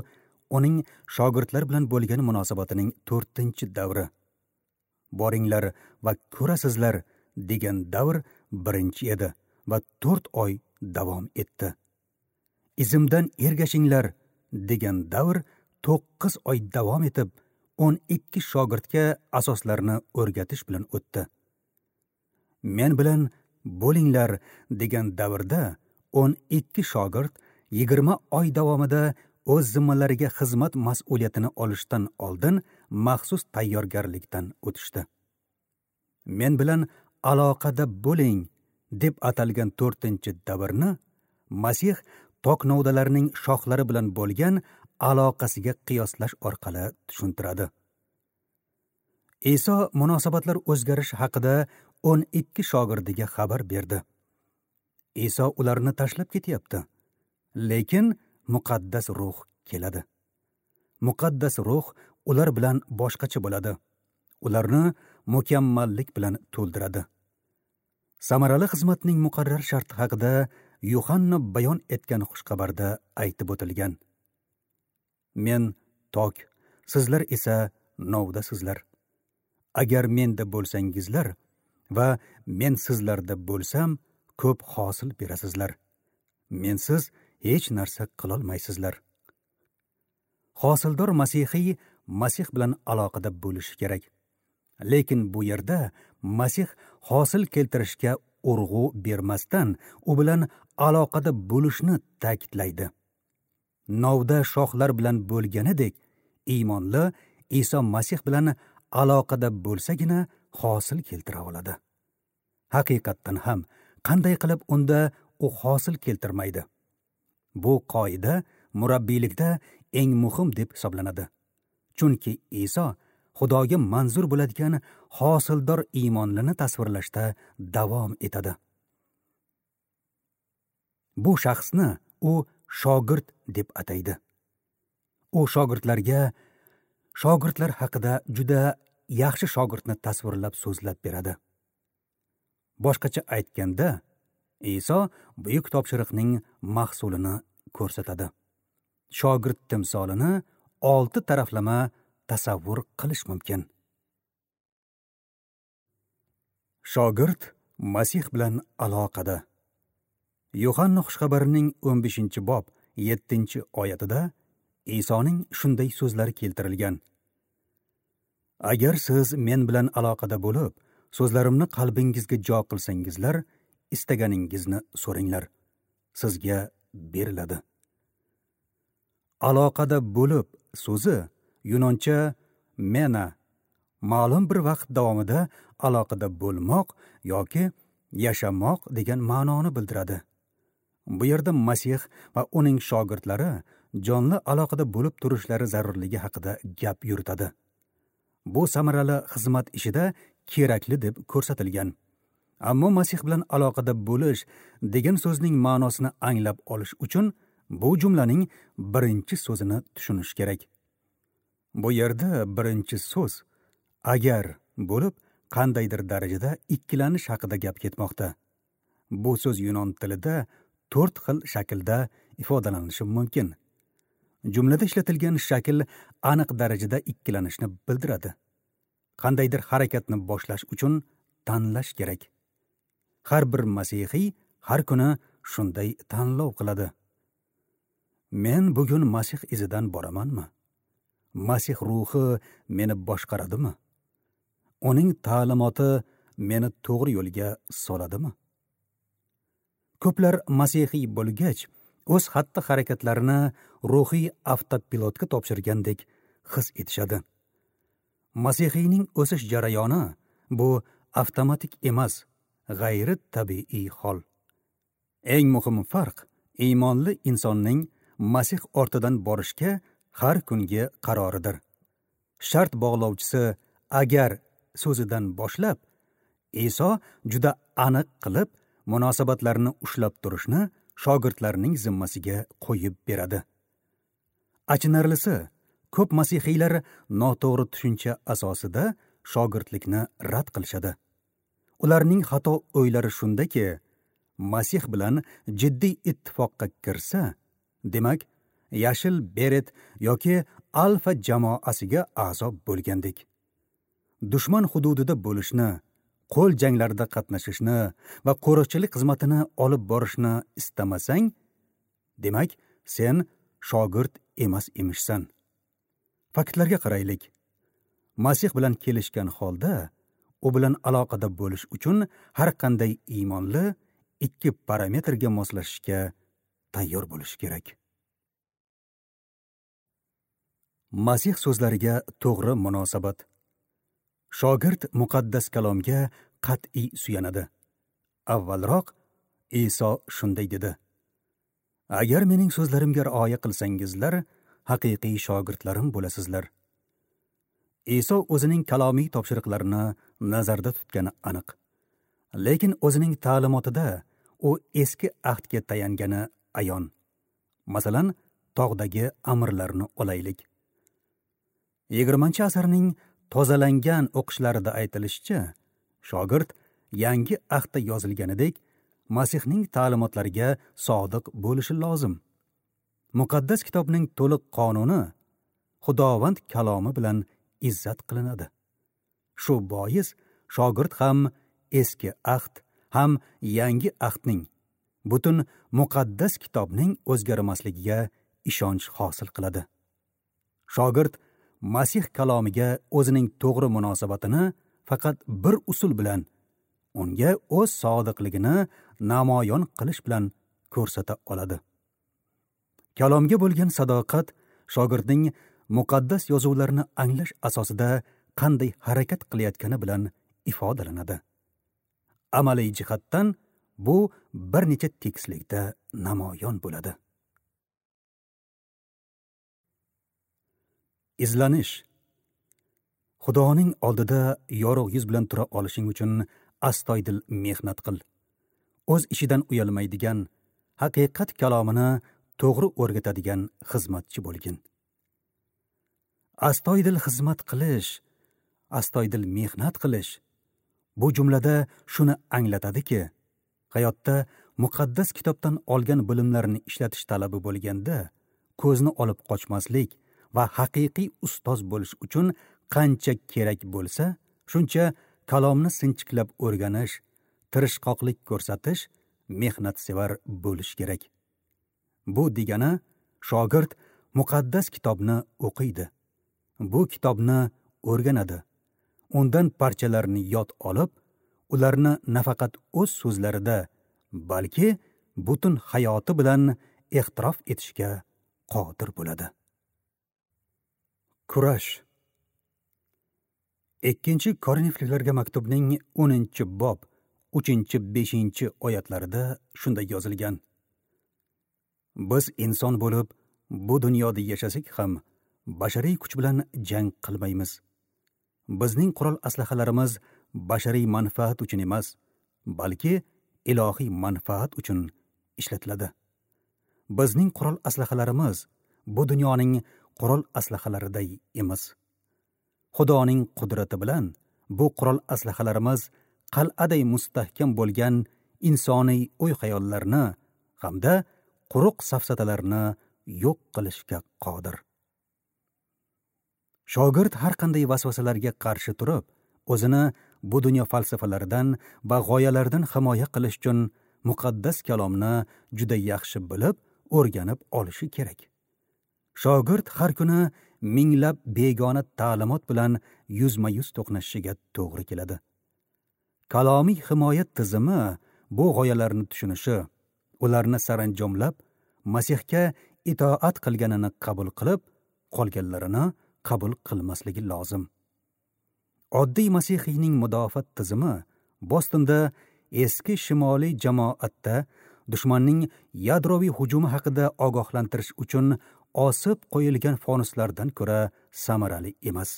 uning shogirdlar bilan bo'lgan munosabatining 4-davri. Boringlar va ko'rasizlar degan davr birinchi edi va 4 oy davom etdi. Izimdan ergashinglar degan davr 9 oy davom etib, 12 shogirdga asoslarni o'rgatish bilan o'tdi. Men bilan bo'linglar degan davrda 12 shogird 20 oy davomida o'z zimmalariga xizmat mas'uliyatini olishdan oldin maxsus tayyorgarlikdan o'tishdi. Men bilan aloqada bo'ling deb atalgan 4-davrni Masih tok novdalarining shoxlari bilan bo'lgan aloqasiga qiyoslash orqali tushuntiradi. Iso munosabatlar o'zgarishi haqida 12 shogirdiga xabar berdi. Iso ularni tashlab ketyapti, lekin muqaddas ruh keladi. Muqaddas ruh ular bilan boshqacha bo'ladi. Ularni mukammallik bilan to'ldiradi. Samarali xizmatning muqarrar sharti haqida Yuhanna bayon etgan xushxabarda aytib o'tilgan. Men tok, sizlar esa novdasizlar. Agar menda bo'lsangizlar va men sizlarda bo'lsam, ko'p hosil berasizlar. Mensiz hech narsa qilolmaysizlar. Hosildor masihiy Masih bilan aloqada bo'lishi kerak. Lekin bu yerda Masih hosil keltirishga urg'u bermasdan, u bilan aloqada bo'lishni ta'kidlaydi. Novda shoxlar bilan bo'lganidek, iymonli Iso Masih bilan aloqada bo'lsagina hosil keltira oladi. Haqiqatdan ham qanday qilib unda u hosil keltirmaydi? Bu qoida murabbiylikda eng muhim deb hisoblanadi. Chunki Iso Xudoga manzur bo'ladigan hosildor iymonlini tasvirlashda davom etadi. Bu shaxsni u shogird deb ataydi. U shogirdlarga shogirdlar haqida juda yaxshi shogirdni tasvirlab so'zlab beradi. Boshqacha aytganda, Iso buyuk topshiriqning mahsulini ko'rsatadi. Shogird timsolini 6 taraflama tasavvur qilish mumkin. Shogird Masih bilan aloqada. Yuhanna xushxabarining 15-bob 7-oyatida Isoning shunday so'zlari keltirilgan: Agar siz men bilan aloqada bo'lib, so'zlarimni qalbingizga jo qilsangizlar, istaganingizni so'ringlar, sizga beriladi. Aloqada bo'lib so'zi yunoncha mena, ma'lum bir vaqt davomida aloqada bo'lmoq yoki yashamoq degan ma'noni bildiradi. Bu yerda Masih va uning shogirdlari jonli aloqada bo'lib turishlari zarurligi haqida gap yuritadi. Bu samarali xizmat ishida kerakli deb ko'rsatilgan. Ammo Masih bilan aloqada bo'lish degan so'zning ma'nosini anglab olish uchun bu jumlaning birinchi so'zini tushunish kerak. Bu yerda birinchi so'z agar bo'lib, qandaydir darajada ikkilanish haqida gap ketmoqda. Bu so'z yunon tilida 4 xil shaklda ifodalanishi mumkin. Jumlada ishlatilgan shakl aniq darajada ikkilanishni bildiradi. Qandaydir harakatni boshlash uchun tanlash kerak. Har bir masihiy har kuni shunday tanlov qiladi. Men bugun Masih izidan boramanmi? Masih ruhi meni boshqaradimi? Uning ta'limoti meni to'g'ri yo'lga soladimi? Ko'plar masihiy bo'lgach, o'z xatti-harakatlarini ruhiy avtopilotga topshirgandek his etishadi. Masihiyning o'sish jarayoni bu avtomatik emas, g'ayri tabiiy hol. Eng muhim farq iymonli insonning Masih ortidan borishga har kungi qaroridir. Shart bog'lovchisi agar so'zidan boshlab Iso juda aniq qilib munosabatlarni ushlab turishni shogirdlarning zimmasiga qo'yib beradi. Achinarlisi, ko'p masihiylar noto'g'ri tushuncha asosida shogirdlikni rad qilishadi. Ularning xato o'ylari shundaki, Masih bilan jiddiy ittifoqqa kirsa, demak, yashil beret yoki alfa jamoasiga a'zo bo'lgandek. Dushman hududida bo'lishni, qo'l janglarida qatnashishni va qo'riqchilik xizmatini olib borishni istamasang, demak, sen shogird emas emishsan. Faktlarga qaraylik. Masih bilan kelishgan holda, u bilan aloqada bo'lish uchun har qanday iymonli 2 parametrga moslashishga tayyor bo'lish kerak. Masih so'zlariga to'g'ri munosabat. Shogird muqaddas kalomga qat'iy suyanadi. Avvalroq Iso shunday dedi: Agar mening so'zlarimga rioya qilsangizlar, haqiqiy shogirdlarim bo'lasizlar. Iso o'zining kalomiy topshiriqlarini nazarda tutgani aniq. Lekin o'zining ta'limotida u eski ahdga tayangani ayon. Masalan, tog'dagi amrlarni olaylik. 20-asrning tozalangan o'qishlarida aytilishicha, shogird yangi ahdda yozilganidek Masihning ta'limotlariga sodiq bo'lishi lozim. Muqaddas kitobning to'liq qonuni Xudovand kalomi bilan izzat qilinadi. Shu bois shogird ham eski ahd, ham yangi ahdning, butun muqaddas kitobning o'zgarmasligiga ishonch hosil qiladi. Shogird Masih kalomiga o'zining to'g'ri munosabatini faqat bir usul bilan, unga o'z sodiqligini namoyon qilish bilan ko'rsata oladi. Kalomga bo'lgan sadoqat shogirdning muqaddas yozuvlarni anglash asosida qanday harakat qilayotgani bilan ifodalanadi. Amaliy jihatdan bu bir necha tekislikda namoyon bo'ladi. Izlanish. Xudoning oldida yorug' yuz bilan tura olishing uchun astoydil mehnat qil. O'z ishidan uyalmaydigan, haqiqat kalomini to'g'ri o'rgatadigan xizmatchi bo'lgin. Astoydil xizmat qilish, astoydil mehnat qilish bu jumlada shuni anglatadiki, hayotda muqaddas kitobdan olgan bilimlarni ishlatish talabi bo'lganda ko'zni olib qochmaslik va haqiqiy ustoz bo'lish uchun qancha kerak bo'lsa, shuncha kalomni sinchiklab o'rganish, tirishqoqlik ko'rsatish, mehnatsevar bo'lish kerak. Bu degani shogird muqaddas kitobni o'qiydi. Bu kitobni o'rganadi. Undan parchalarni yod olib, ularni nafaqat o'z so'zlarida, balki butun hayoti bilan e'tirof etishga qodir bo'ladi. Kurash. 2 Korinfliklarga maktubning 10-bob 3-5 oyatlarida shunday yozilgan: Biz inson bo'lib bu dunyoda yashasak ham bashariy kuch bilan jang qilmaymiz. Bizning qurol aslahalarimiz bashariy manfaat uchun emas, balki ilohiy manfaat uchun ishlatiladi. Bizning qurol aslahalarimiz bu dunyoning qurol aslahalariday emas. Xudoning qudrati bilan Bu qurol aslahalarimiz qal'aday mustahkam bo'lgan insoniy o'y-xayollarni hamda quruq safsatalarni yo'q qilishga qodir. Shogird har qanday vasvasalarga qarshi turib, o'zini bu dunyo falsafalaridan va g'oyalaridan himoya qilish uchun muqaddas kalomni juda yaxshi bilib, o'rganib olishi kerak. Shogird har kuni minglab begona ta'limot bilan yuzma-yuz to'qnashishiga to'g'ri keladi. Kalomiy himoya tizimi bu g'oyalarni tushunishi, ularni saranjomlab, Masihga itoat qilganini qabul qilib, qolganlarini qabul qilmasligi lozim. Oddiy masihiyning mudofaa tizimi Bostonda eski shimoliy jamoatda dushmanning yadroviy hujumi haqida ogohlantirish uchun osib qo'yilgan fonuslardan ko'ra samarali emas.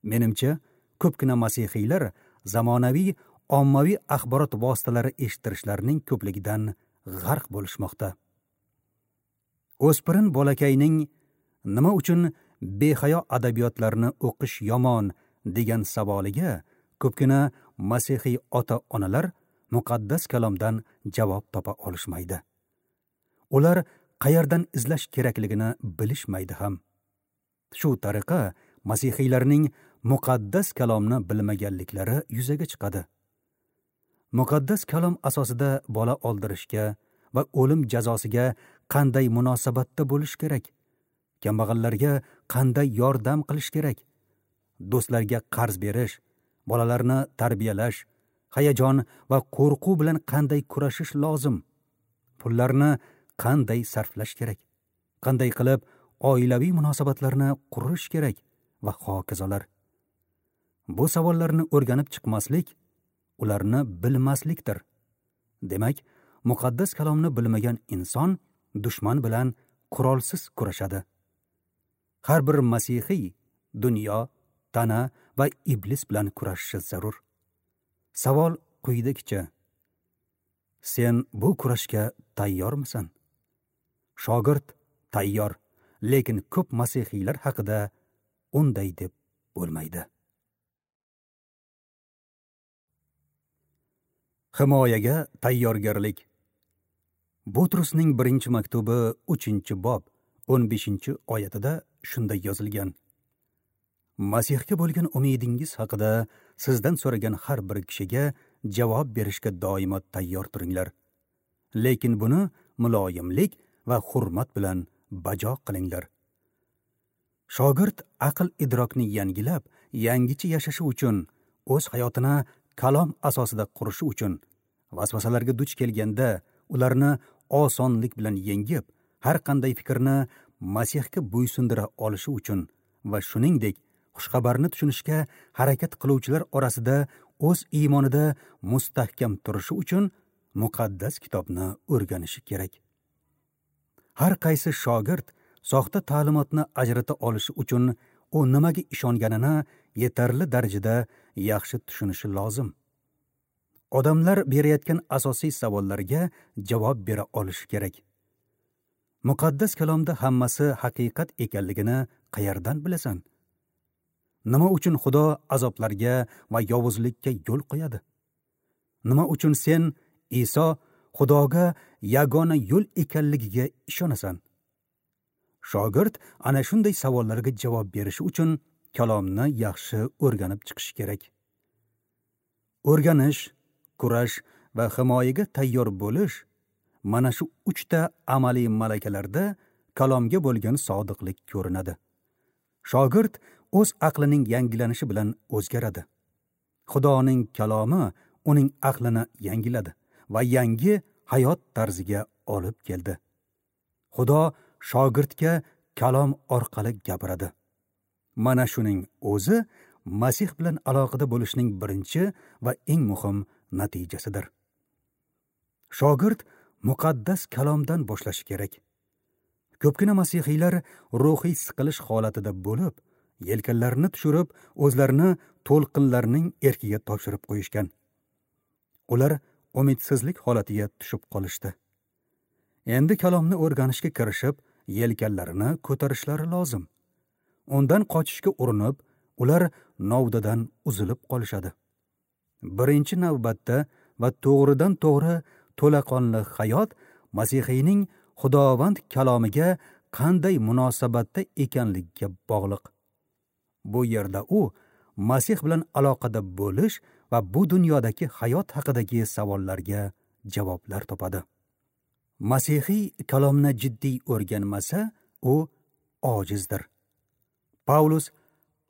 Menimcha, ko'pgina masihiylar zamonaviy ommaviy axborot vositalari eshittirishlarining ko'pligidan g'arq bo'lishmoqda. O'spirin bolakayning nima uchun behayo adabiyotlarni o'qish yomon degan savoliga ko'pgina masihiy ota-onalar muqaddas kalomdan javob topa olishmaydi. Ular qayerdan izlash kerakligini bilishmaydi ham. Shu tariqa masihiylarning muqaddas kalomni bilmaganliklari yuzaga chiqadi. Muqaddas kalom asosida bola oldirishga va o'lim jazosiga qanday munosabatda bo'lish kerak? Kambag'allarga qanday yordam qilish kerak? Do'stlarga qarz berish, bolalarni tarbiyalash, hayajon va qo'rquv bilan qanday kurashish lozim? Pullarni qanday sarflash kerak? Qanday qilib oilaviy munosabatlarni qurish kerak va hokazolar. Bu savollarni o'rganib chiqmaslik ularni bilmaslikdir. Demak, muqaddas kalomni bilmagan inson dushman bilan qurolsiz kurashadi. Har bir masihiy dunyo, tana va iblis bilan kurashishi zarur. Savol quyidagicha: sen bu kurashga tayyormisan? Shogird tayyor, lekin ko'p masihiylar haqida unday deb bo'lmaydi. Himoyaga tayyorgarlik. Butrusning 1-maktubi 3-bob 15-oyatida shunday yozilgan: Masihga bo'lgan umidingiz haqida sizdan so'ragan har bir kishiga javob berishga doimo tayyor turinglar. Lekin buni muloyimlik va hurmat bilan bajo qilinglar. Shogird aql idrokni yangilab, yangicha yashashi uchun, o'z hayotini kalom asosida qurishi uchun vasvasalarga duch kelganda ularni osonlik bilan yengib, har qanday fikrni Masihga bo'ysundira olishi uchun va shuningdek xushxabarni tushunishga harakat qiluvchilar orasida o'z iymonida mustahkam turishi uchun muqaddas kitobni o'rganishi kerak. Har qaysi shogird soxta ta'limotni ajrata olishi uchun u nimaga ishonganini yetarli darajada yaxshi tushunishi lozim. Odamlar berayotgan asosiy savollarga javob bera olishi kerak. Muqaddas kalomda hammasi haqiqat ekanligini qayerdan bilasan? Nima uchun Xudo azoblarga va yovuzlikka yo'l qo'yadi? Nima uchun sen Iso Xudoga yagona yo'l ekanligiga ishonasan? Shogird ana shunday savollarga javob berishi uchun kalomni yaxshi o'rganib chiqishi kerak. O'rganish, kurash va himoyaga tayyor bo'lish mana shu uchta amaliy malakalarda kalomga bo'lgan sodiqlik ko'rinadi. Shogird o'z aqlining yangilanishi bilan o'zgaradi. Xudoning kalomi uning aqlini yangiladi va yangi hayot tarziga olib keldi. Xudo shogirdga kalom orqali gapiradi. Mana shuning o'zi Masih bilan aloqada bo'lishning birinchi va eng muhim natijasidir. Shogird muqaddas kalomdan boshlashi kerak. Ko'pgina masihiylar ruhiy siqilish holatida bo'lib, yelkanlarini tushirib, o'zlarini to'lqinlarning erkiga topshirib qo'yishgan. Ular umidsizlik holatiga tushib qolishdi. Endi kalomni o'rganishga kirishib, yelkanlarini ko'tarishlari lozim. Undan qochishga urinib, Ular novdadan uzilib qolishadi. Birinchi navbatda va to'g'ridan to'g'ri to'laqonli hayot masihiyning Xudovand kalomiga qanday munosabatda ekanligiga bog'liq. Bu yerda u Masih bilan aloqada bo'lish va bu dunyodagi hayot haqidagi savollarga javoblar topadi. Masihiy kalomni jiddiy o'rganmasa, u ojizdir. Pavlus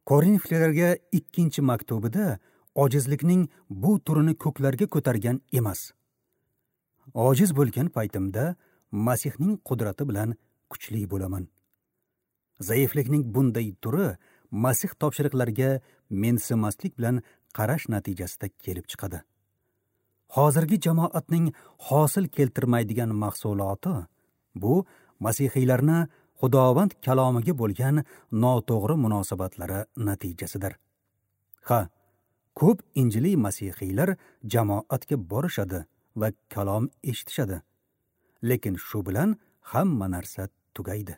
Korinflarga 2-maktubida ojizlikning bu turini ko'klarga ko'targan emas. Ojiz bo'lgan paytimda Masihning qudrati bilan kuchli bo'laman. Zaiflikning bunday turi Masih topshiriqlariga mensimaslik bilan qarash natijasida kelib chiqadi. Hozirgi jamoatning hosil keltirmaydigan mahsuloti bu masihiylarni Xudovand kalomiga bo'lgan noto'g'ri munosabatlari natijasidir. Ha, ko'p injiliy masihiylar jamoatga borishadi va kalom eshitishadi. Lekin shu bilan hamma narsa tugaydi.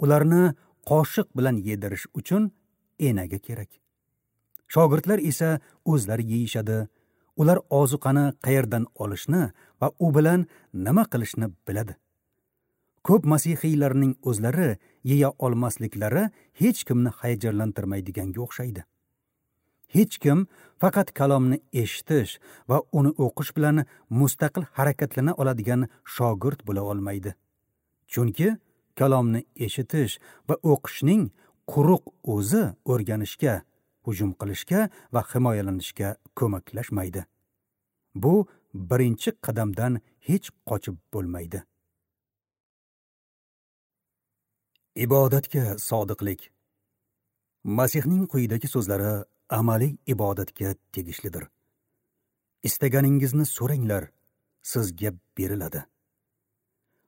Ularni qoshiq bilan yedirish uchun enaga kerak. Shogirdlar esa o'zlari yeyishadi. Ular ozuqani qayerdan olishni va u bilan nima qilishni biladi. Ko'p masihiylarning o'zlari yeya olmasliklari hech kimni hayajonlantirmaydiganga o'xshaydi. Hech kim faqat kalomni eshitish va uni o'qish bilan mustaqil harakatlana oladigan shogird bo'la olmaydi. Chunki kalomni eshitish va o'qishning quruq o'zi o'rganishga, hujum qilishga va himoyalanishga ko'maklashmaydi. Bu birinchi qadamdan hech qochib bo'lmaydi. Ibodatga sodiqlik. Masihning quyidagi so'zlari amaliy ibodatga tegishlidir. Istaganingizni so'ranglar, sizga beriladi.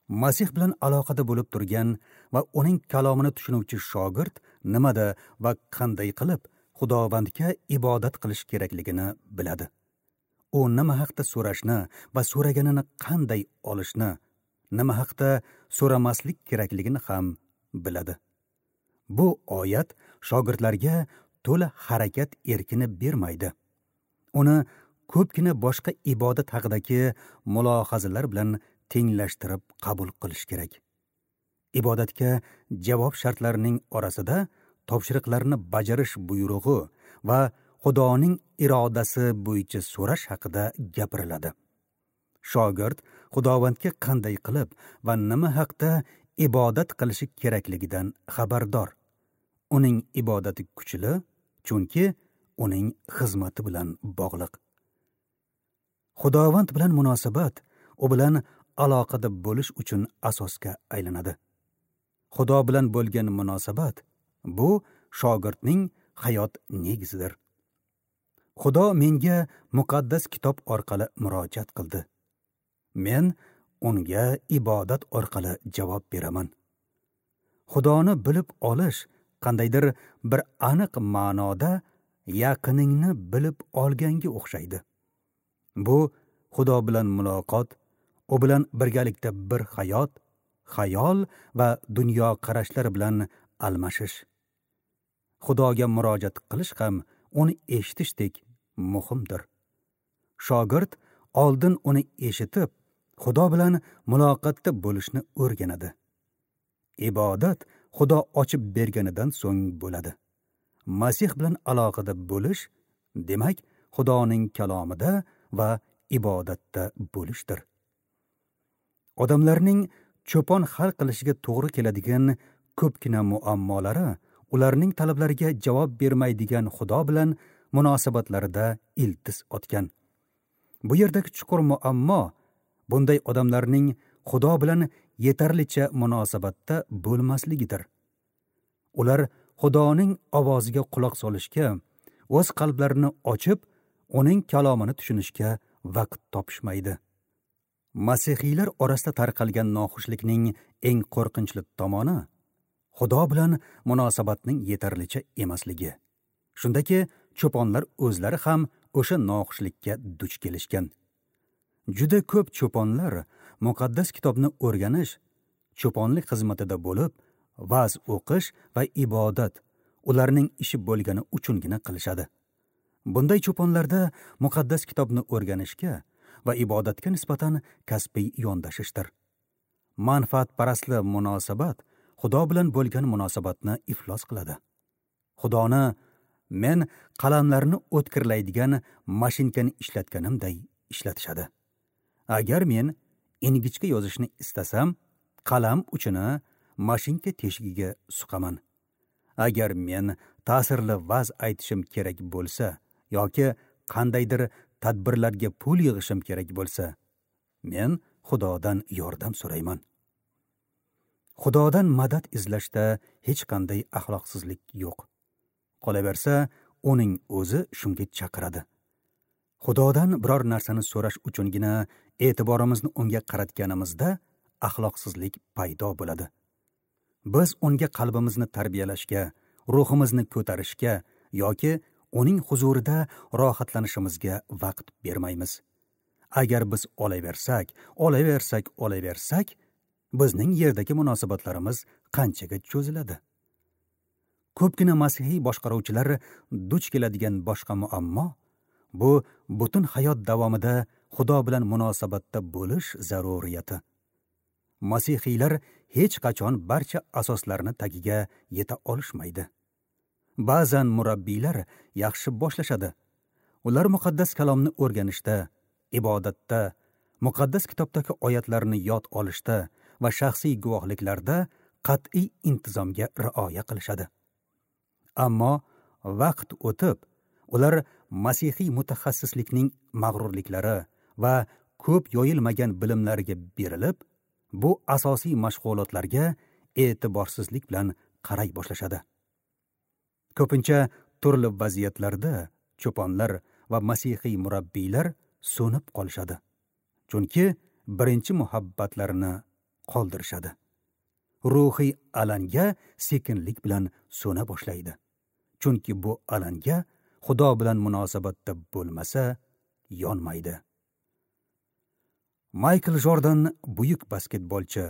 Masih bilan aloqada bo'lib turgan va uning kalomini tushunuvchi shogird nimada va qanday qilib Xudovandga ibodat qilish kerakligini biladi. U nima haqda so'rashni va so'raganini qanday olishni, nima haqda so'ramaslik kerakligini ham biladi. Bu oyat shogirdlarga to'la harakat erkini bermaydi. Uni ko'pgina boshqa ibodat haqidagi mulohazalar bilan tenglashtirib qabul qilish kerak. Ibodatga javob shartlarining orasida topshiriqlarni bajarish buyrug'i va Xudoning irodasi bo'yicha so'rash haqida gapiriladi. Shogird Xudovandga qanday qilib va nima haqda ibodat qilishi kerakligidan xabardor. Uning ibodati kuchli, chunki uning xizmati bilan bog'liq. Xudovand bilan munosabat u bilan aloqada bo'lish uchun asosga aylanadi. Xudo bilan bo'lgan munosabat bu shogirdning hayot negizidir. Xudo menga muqaddas kitob orqali murojaat qildi. Men unga ibodat orqali javob beraman. Xudoni bilib olish qandaydir bir aniq ma'noda yaqiningni bilib olganga o'xshaydi. Bu Xudo bilan muloqot, u bilan birgalikda bir hayot, xayol va dunyo qarashlari bilan almashish. Xudoga murojaat qilish ham uni eshitishdek muhimdir. Shogird oldin uni eshitib, Xudo bilan muloqotda bo'lishni o'rganadi. Ibodat Xudo ochib berganidan so'ng bo'ladi. Masih bilan aloqada bo'lish, demak, Xudoning kalomida va ibodatda bo'lishdir. Odamlarning cho'pon hal qilishiga to'g'ri keladigan ko'pgina muammolari ularning talablariga javob bermaydigan Xudo bilan munosabatlarida iltiz otgan. Bu yerdagi chuqur muammo bunday odamlarning Xudo bilan yetarlicha munosabatda bo'lmasligidir. Ular Xudoning ovoziga quloq solishga, o'z qalblarini ochib, uning kalomini tushunishga vaqt topishmaydi. Masihiylar orasida tarqalgan noxushlikning eng qo'rqinchli tomoni Xudo bilan munosabatning yetarlicha emasligi. Shundaki, cho'ponlar o'zlari ham o'sha noxushlikka duch kelishgan. Juda ko'p cho'ponlar muqaddas kitobni o'rganish, cho'ponlik xizmatida bo'lib, va'z o'qish va ibodat ularning ishi bo'lgani uchungina qilishadi. Bunday cho'ponlarda muqaddas kitobni o'rganishga va ibodatga nisbatan kasbiy yondashishdir. Manfaatparastli munosabat Xudo bilan bo'lgan munosabatni iflos qiladi. Xudoni men qalamlarni o'tkirlaydigan mashinkani ishlatganimday ishlatishadi. Agar men ingichka yozishni istasam, qalam uchini mashinka teshigiga suqaman. Agar men ta'sirli va'z aytishim kerak bo'lsa yoki qandaydir tadbirlarga pul yig'ishim kerak bo'lsa, men Xudodan yordam so'rayman. Xudodan madad izlashda hech qanday axloqsizlik yo'q. Qolaversa, uning o'zi shunga chaqiradi. Xudodan biror narsani so'rash uchungina e'tiborimizni unga qaratganimizda axloqsizlik paydo bo'ladi. Biz unga qalbimizni tarbiyalashga, ruhimizni ko'tarishga yoki uning huzurida rohatlanishimizga vaqt bermaymiz. Agar biz olaversak, olaversak, olaversak, bizning yerdagi munosabatlarimiz qanchaga cho'ziladi? Ko'pgina masihiy boshqaruvchilar duch keladigan boshqa muammo bu butun hayot davomida Xudo bilan munosabatda bo'lish zaruriyati. Masihiylar hech qachon barcha asoslarni tagiga yeta olishmaydi. Ba'zan murabbiylar yaxshi boshlashadi. Ular muqaddas kalomni o'rganishda, ibodatda, muqaddas kitobdagi oyatlarni yod olishda va shaxsiy guvohliklarda qat'iy intizomga rioya qilishadi. Ammo vaqt o'tib, ular masihiy mutaxassislikning mag'rurliklari va ko'p yoyilmagan bilimlariga berilib, bu asosiy mashg'ulotlarga e'tiborsizlik bilan qaray boshlashadi. Ko'pincha turli vaziyatlarda cho'ponlar va masihiy murabbiylar so'nib qolishadi. Chunki birinchi muhabbatlarini qoldirishadi. Ruhiy alanga sekinlik bilan so'na boshlaydi. Chunki bu alanga Xudo bilan munosabatda bo'lmasa, yonmaydi. Maykl Jordan buyuk basketbolchi.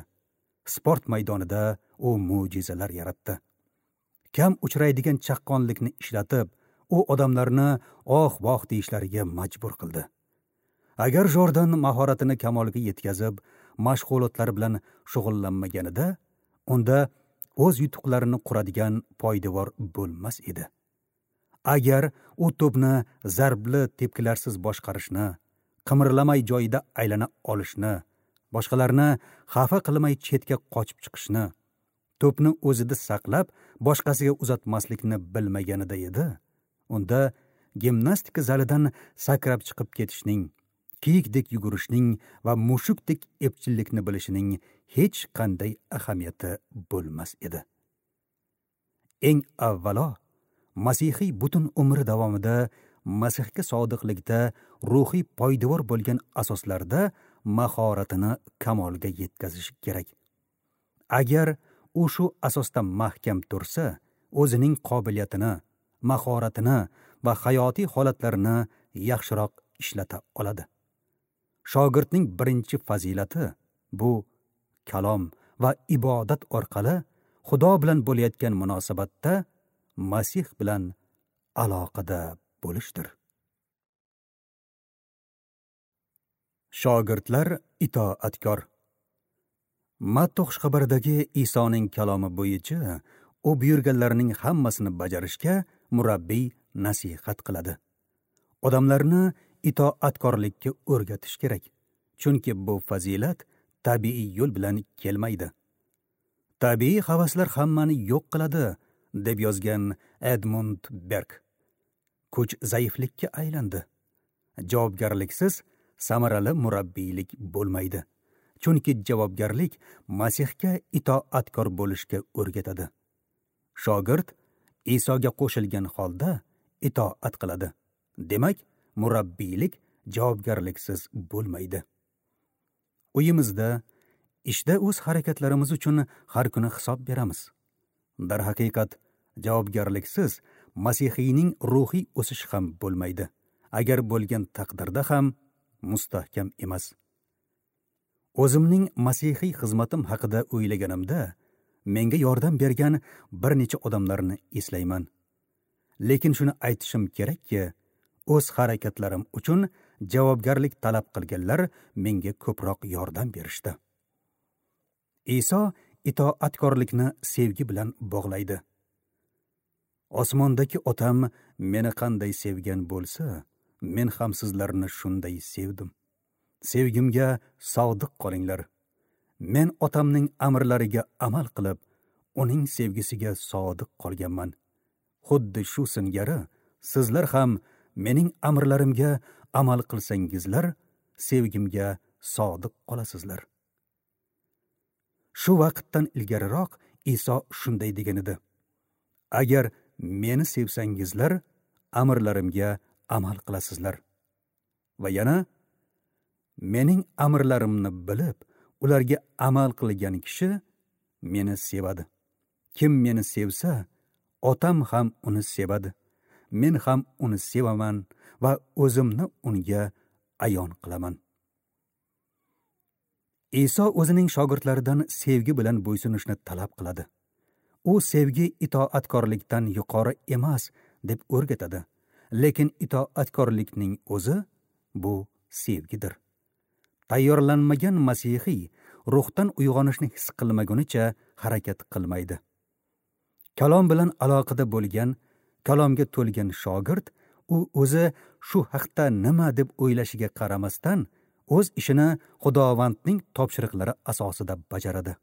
Sport maydonida u mo'jizalar yaratdi. Kam uchraydigan chaqqonlikni ishlatib, u odamlarni oh-voh deyishlariga majbur qildi. Agar Jordan mahoratini kamolga yetkazib, mashg'ulotlar bilan shug'ullanmaganida, unda o'z yutuqlarini quradigan poydevor bo'lmas edi. Agar u to'pni zarbli tepkilarsiz boshqarishni, qimirlamay joyida aylana olishni, boshqalarni xafa qilmay chetga qochib chiqishni, to'pni o'zida saqlab boshqasiga uzatmaslikni bilmaganida edi, unda gimnastika zalidan sakrab chiqib ketishning, kiyikdek yugurishning va mushukdek epchillikni bilishining hech qanday ahamiyati bo'lmas edi. Eng avvalo, masihiy butun umri davomida Masihga sodiqlikda ruhiy poydevor bo'lgan asoslarda mahoratini kamolga yetkazish kerak. Agar u shu asosda mahkam tursa, o'zining qobiliyatini, mahoratini va hayotiy holatlarini yaxshiroq ishlata oladi. Shogirdning birinchi fazilati bu kalom va ibodat orqali Xudo bilan bo'layotgan munosabatda Masih bilan aloqada bo'lishdir. Shogirdlar itoatkor. Matta xushxabaridagi Isoning kalomi bo'yicha u buyurganlarining hammasini bajarishga murabbiy nasihat qiladi. Odamlarni itoatkorlikka o'rgatish kerak, chunki bu fazilat tabiiy yo'l bilan kelmaydi. Tabiiy havaslar hammani yo'q qiladi, deb yozgan Edmund Berk. Kuch zaiflikka aylandi. Javobgarliksiz samarali murabbiylik bo'lmaydi. Chunki javobgarlik Masihga itoatkor bo'lishga o'rgatadi. Shogird Isoga qo'shilgan holda itoat qiladi. Demak, murabbiylik javobgarliksiz bo'lmaydi. Uyimizda, ishda o'z harakatlarimiz uchun har kuni hisob beramiz. Darhaqiqat, javobgarliksiz masihiyning ruhiy o'sishi ham bo'lmaydi. Agar bo'lgan taqdirda ham mustahkam emas. O'zimning masihiy xizmatim haqida o'ylaganimda, Menga yordam bergan bir necha odamlarni eslayman. Lekin shuni aytishim kerakki, o'z harakatlarim uchun javobgarlik talab qilganlar menga ko'proq yordam berishdi. Iso itoatkorlikni sevgi bilan bog'laydi. Osmondagi Otam meni qanday sevgan bo'lsa, men ham sizlarni shunday sevdim. Sevgimga sodiq qolinglar. Men Otamning amrlariga amal qilib, uning sevgisiga sodiq qolganman. Xuddi shu singari sizlar ham mening amrlarimga amal qilsangizlar, sevgimga sodiq qolasizlar. Shu vaqtdan ilgariroq Iso shunday degan edi: Agar meni sevsangizlar, amrlarimga amal qilasizlar. Va yana mening amrlarimni bilib, ularga amal qilgan kishi meni sevadi. Kim meni sevsa, Otam ham uni sevadi. Men ham uni sevaman va o'zimni unga ayon qilaman. Iso o'zining shogirdlaridan sevgi bilan bo'ysunishni talab qiladi. U sevgi itoatkorlikdan yuqori emas deb o'rgatadi. Lekin itoatkorlikning o'zi bu sevgidir. Tayyorlanmagan masihiy ruhdan uyg'onishni his qilmagunicha harakat qilmaydi. Kalom bilan aloqada bo'lgan, kalomga to'lgan shogird u o'zi shu haqda nima deb o'ylashiga qaramasdan o'z ishini Xudovandning topshiriqlari asosida bajaradi.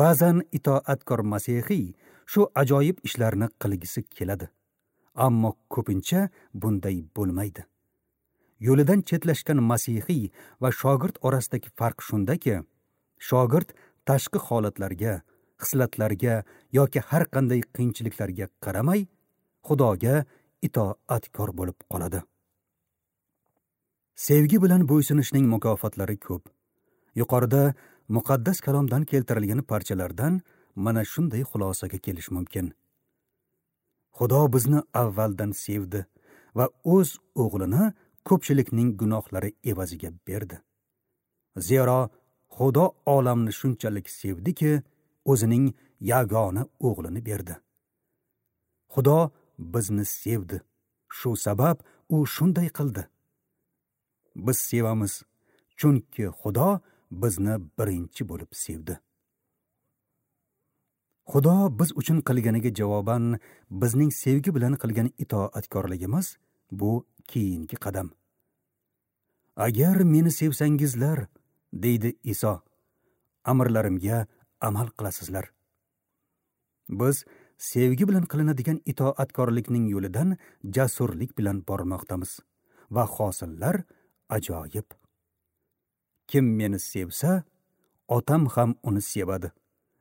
Ba'zan itoatkor masihiy shu ajoyib ishlarni qilgisi keladi. Ammo ko'pincha bunday bo'lmaydi. Yo'lidan chetlashgan masihiy va shogird orasidagi farq shundaki, shogird tashqi holatlarga, xislatlarga yoki har qanday qiyinchiliklarga qaramay Xudoga itoatkor bo'lib qoladi. Sevgi bilan bo'ysunishning mukofotlari ko'p. Yuqorida muqaddas kalomdan keltirilgan parchalardan mana shunday xulosaga kelish mumkin. Xudo bizni avvaldan sevdi va o'z o'g'lini ko'pchilikning gunohlari evaziga berdi. Zero Xudo olamni shunchalik sevdiki, o'zining yagona o'g'lini berdi. Xudo bizni sevdi. Shu sabab u shunday qildi. Biz sevamiz, chunki Xudo bizni birinchi bo'lib sevdi. Xudo biz uchun qilganiga javoban bizning sevgi bilan qilgan itoatkorligimiz bu keyingi qadam. Agar meni sevsangizlar, deydi Iso, amrlarimga amal qilasizlar. Biz sevgi bilan qilinadigan itoatkorlikning yo'lidan jasurlik bilan bormoqdamiz va hosillar ajoyib. Kim meni sevsa, Otam ham uni sevadi.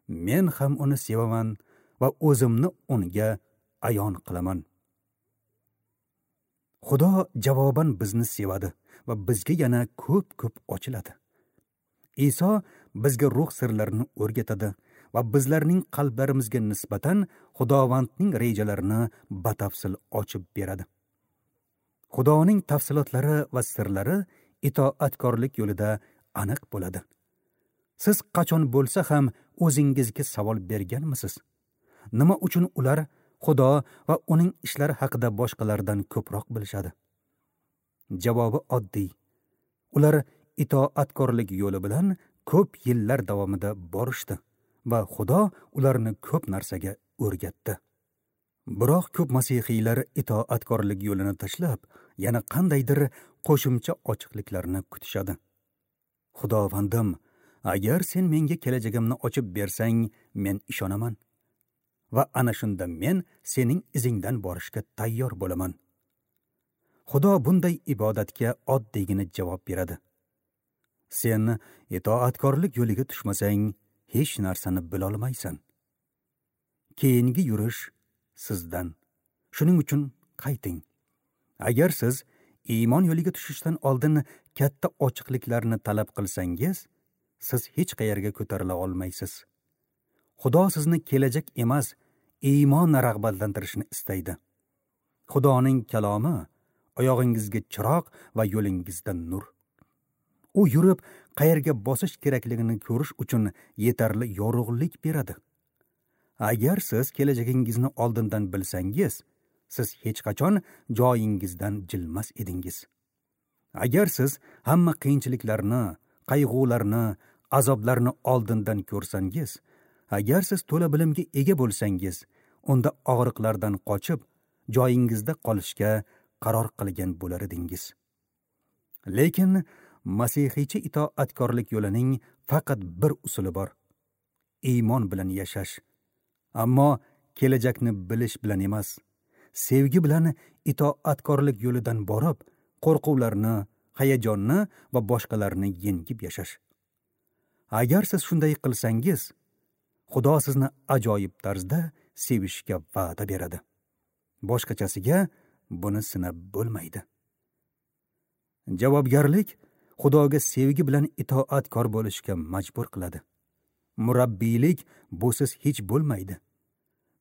Men ham uni sevaman va o'zimni unga ayon qilaman. Xudo javoban bizni sevadi va bizga yana ko'p-ko'p ochiladi. Iso bizga ruh sirlarini o'rgatadi va bizlarning qalblarimizga nisbatan Xudovandning rejalarini batafsil ochib beradi. Xudoning tafsilotlari va sirlari itoatkorlik yo'lida aniq bo'ladi. Siz qachon bo'lsa ham o'zingizga savol berganmisiz? Nima uchun ular Xudo va uning ishlari haqida boshqalardan ko'proq bilishadi? Javobi oddiy. Ular itoatkorlik yo'li bilan ko'p yillar davomida borishdi va Xudo ularni ko'p narsaga o'rgatdi. Biroq ko'p masihiylar itoatkorlik yo'lini tashlab, yana qandaydir qo'shimcha ochiqliklarni kutishadi. Xudovandim, agar sen menga kelajagimni ochib bersang, men ishonaman. Va ana shunda men sening izingdan borishga tayyor bo'laman. Xudo bunday ibodatga oddiygina javob beradi. Sen itoatkorlik yo'liga tushmasang, hech narsani bila olmaysan. Keyingi yurish sizdan. Shuning uchun qayting. Agar siz iymon yo'liga tushishdan oldin katta ochiqliklarni talab qilsangiz, siz hech qayerga ko'tarila olmaysiz. Xudo sizni kelajak emas, iymon rag'batlantirishni istaydi. Xudoning kalomi oyog'ingizga chiroq va yo'lingizda nur. U yurib, qayerga bosish kerakligini ko'rish uchun yetarli yorug'lik beradi. Agar siz kelajagingizni oldindan bilsangiz, siz hech qachon joyingizdan jilmas edingiz. Agar siz hamma qiyinchiliklarni, qayg'ularni, azoblarni oldindan ko'rsangiz, agar siz to'la bilimga ega bo'lsangiz, unda og'riqlardan qochib, joyingizda qolishga qaror qilgan bo'lar edingiz. Lekin masihiycha itoatkorlik yo'lining faqat bir usuli bor: iymon bilan yashash. Ammo kelajakni bilish bilan emas, sevgi bilan itoatkorlik yo'lidan borib, qo'rquvlarni, hayajonni va boshqalarni yengib yashash. Agar siz shunday qilsangiz, Xudo sizni ajoyib tarzda sevishga va'da beradi. Boshqachasiga buni sinab bo'lmaydi. Javobgarlik Xudoga sevgi bilan itoatkor bo'lishga majbur qiladi. Murabbiylik busiz hech bo'lmaydi.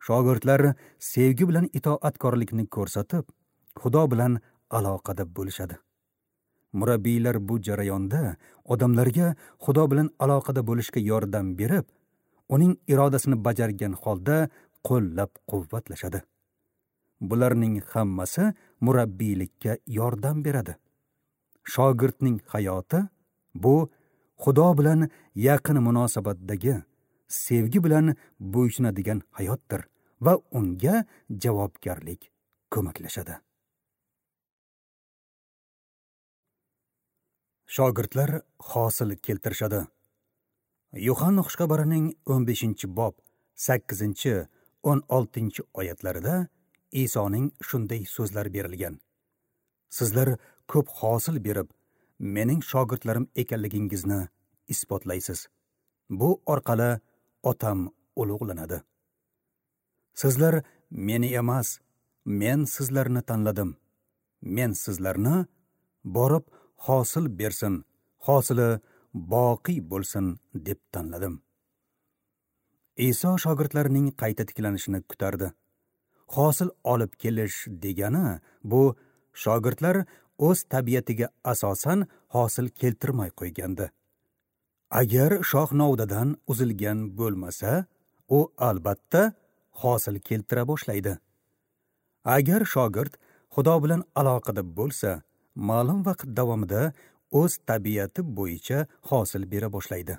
Shogirdlar sevgi bilan itoatkorlikni ko'rsatib, Xudo bilan aloqada bo'lishadi. Murabbiylar bu jarayonda odamlarga Xudo bilan aloqada bo'lishga yordam berib, uning irodasini bajargan holda qo'llab-quvvatlashadi. Bularning hammasi murabbiylikka yordam beradi. Shogirdning hayoti bu Xudo bilan yaqin munosabatdagi, sevgi bilan bo'ysunadigan hayotdir va unga javobgarlik ko'maklashadi. Shogirdlar hosil keltirishadi. Yuhanna xushxabarining 15-bob 8-16 oyatlarida Isoning shunday so'zlari berilgan: Sizlar ko'p hosil berib, mening shogirdlarim ekanligingizni isbotlaysiz. Bu orqali Otam ulug'lanadi. Sizlar meni emas, men sizlarni tanladim. Men sizlarni borib hosil bersin, hosili boqiy bo'lsin deb tanladim. Iso shogirdlarining qayta tiklanishini kutardi. Hosil olib kelish degani bu shogirdlar o'z tabiatiga asosan hosil keltirmay qo'ygandi. Agar shox novdadan uzilgan bo'lmasa, u albatta hosil keltira boshlaydi. Agar shogird Xudo bilan aloqada bo'lsa, ma'lum vaqt davomida o'z tabiati bo'yicha hosil bera boshlaydi.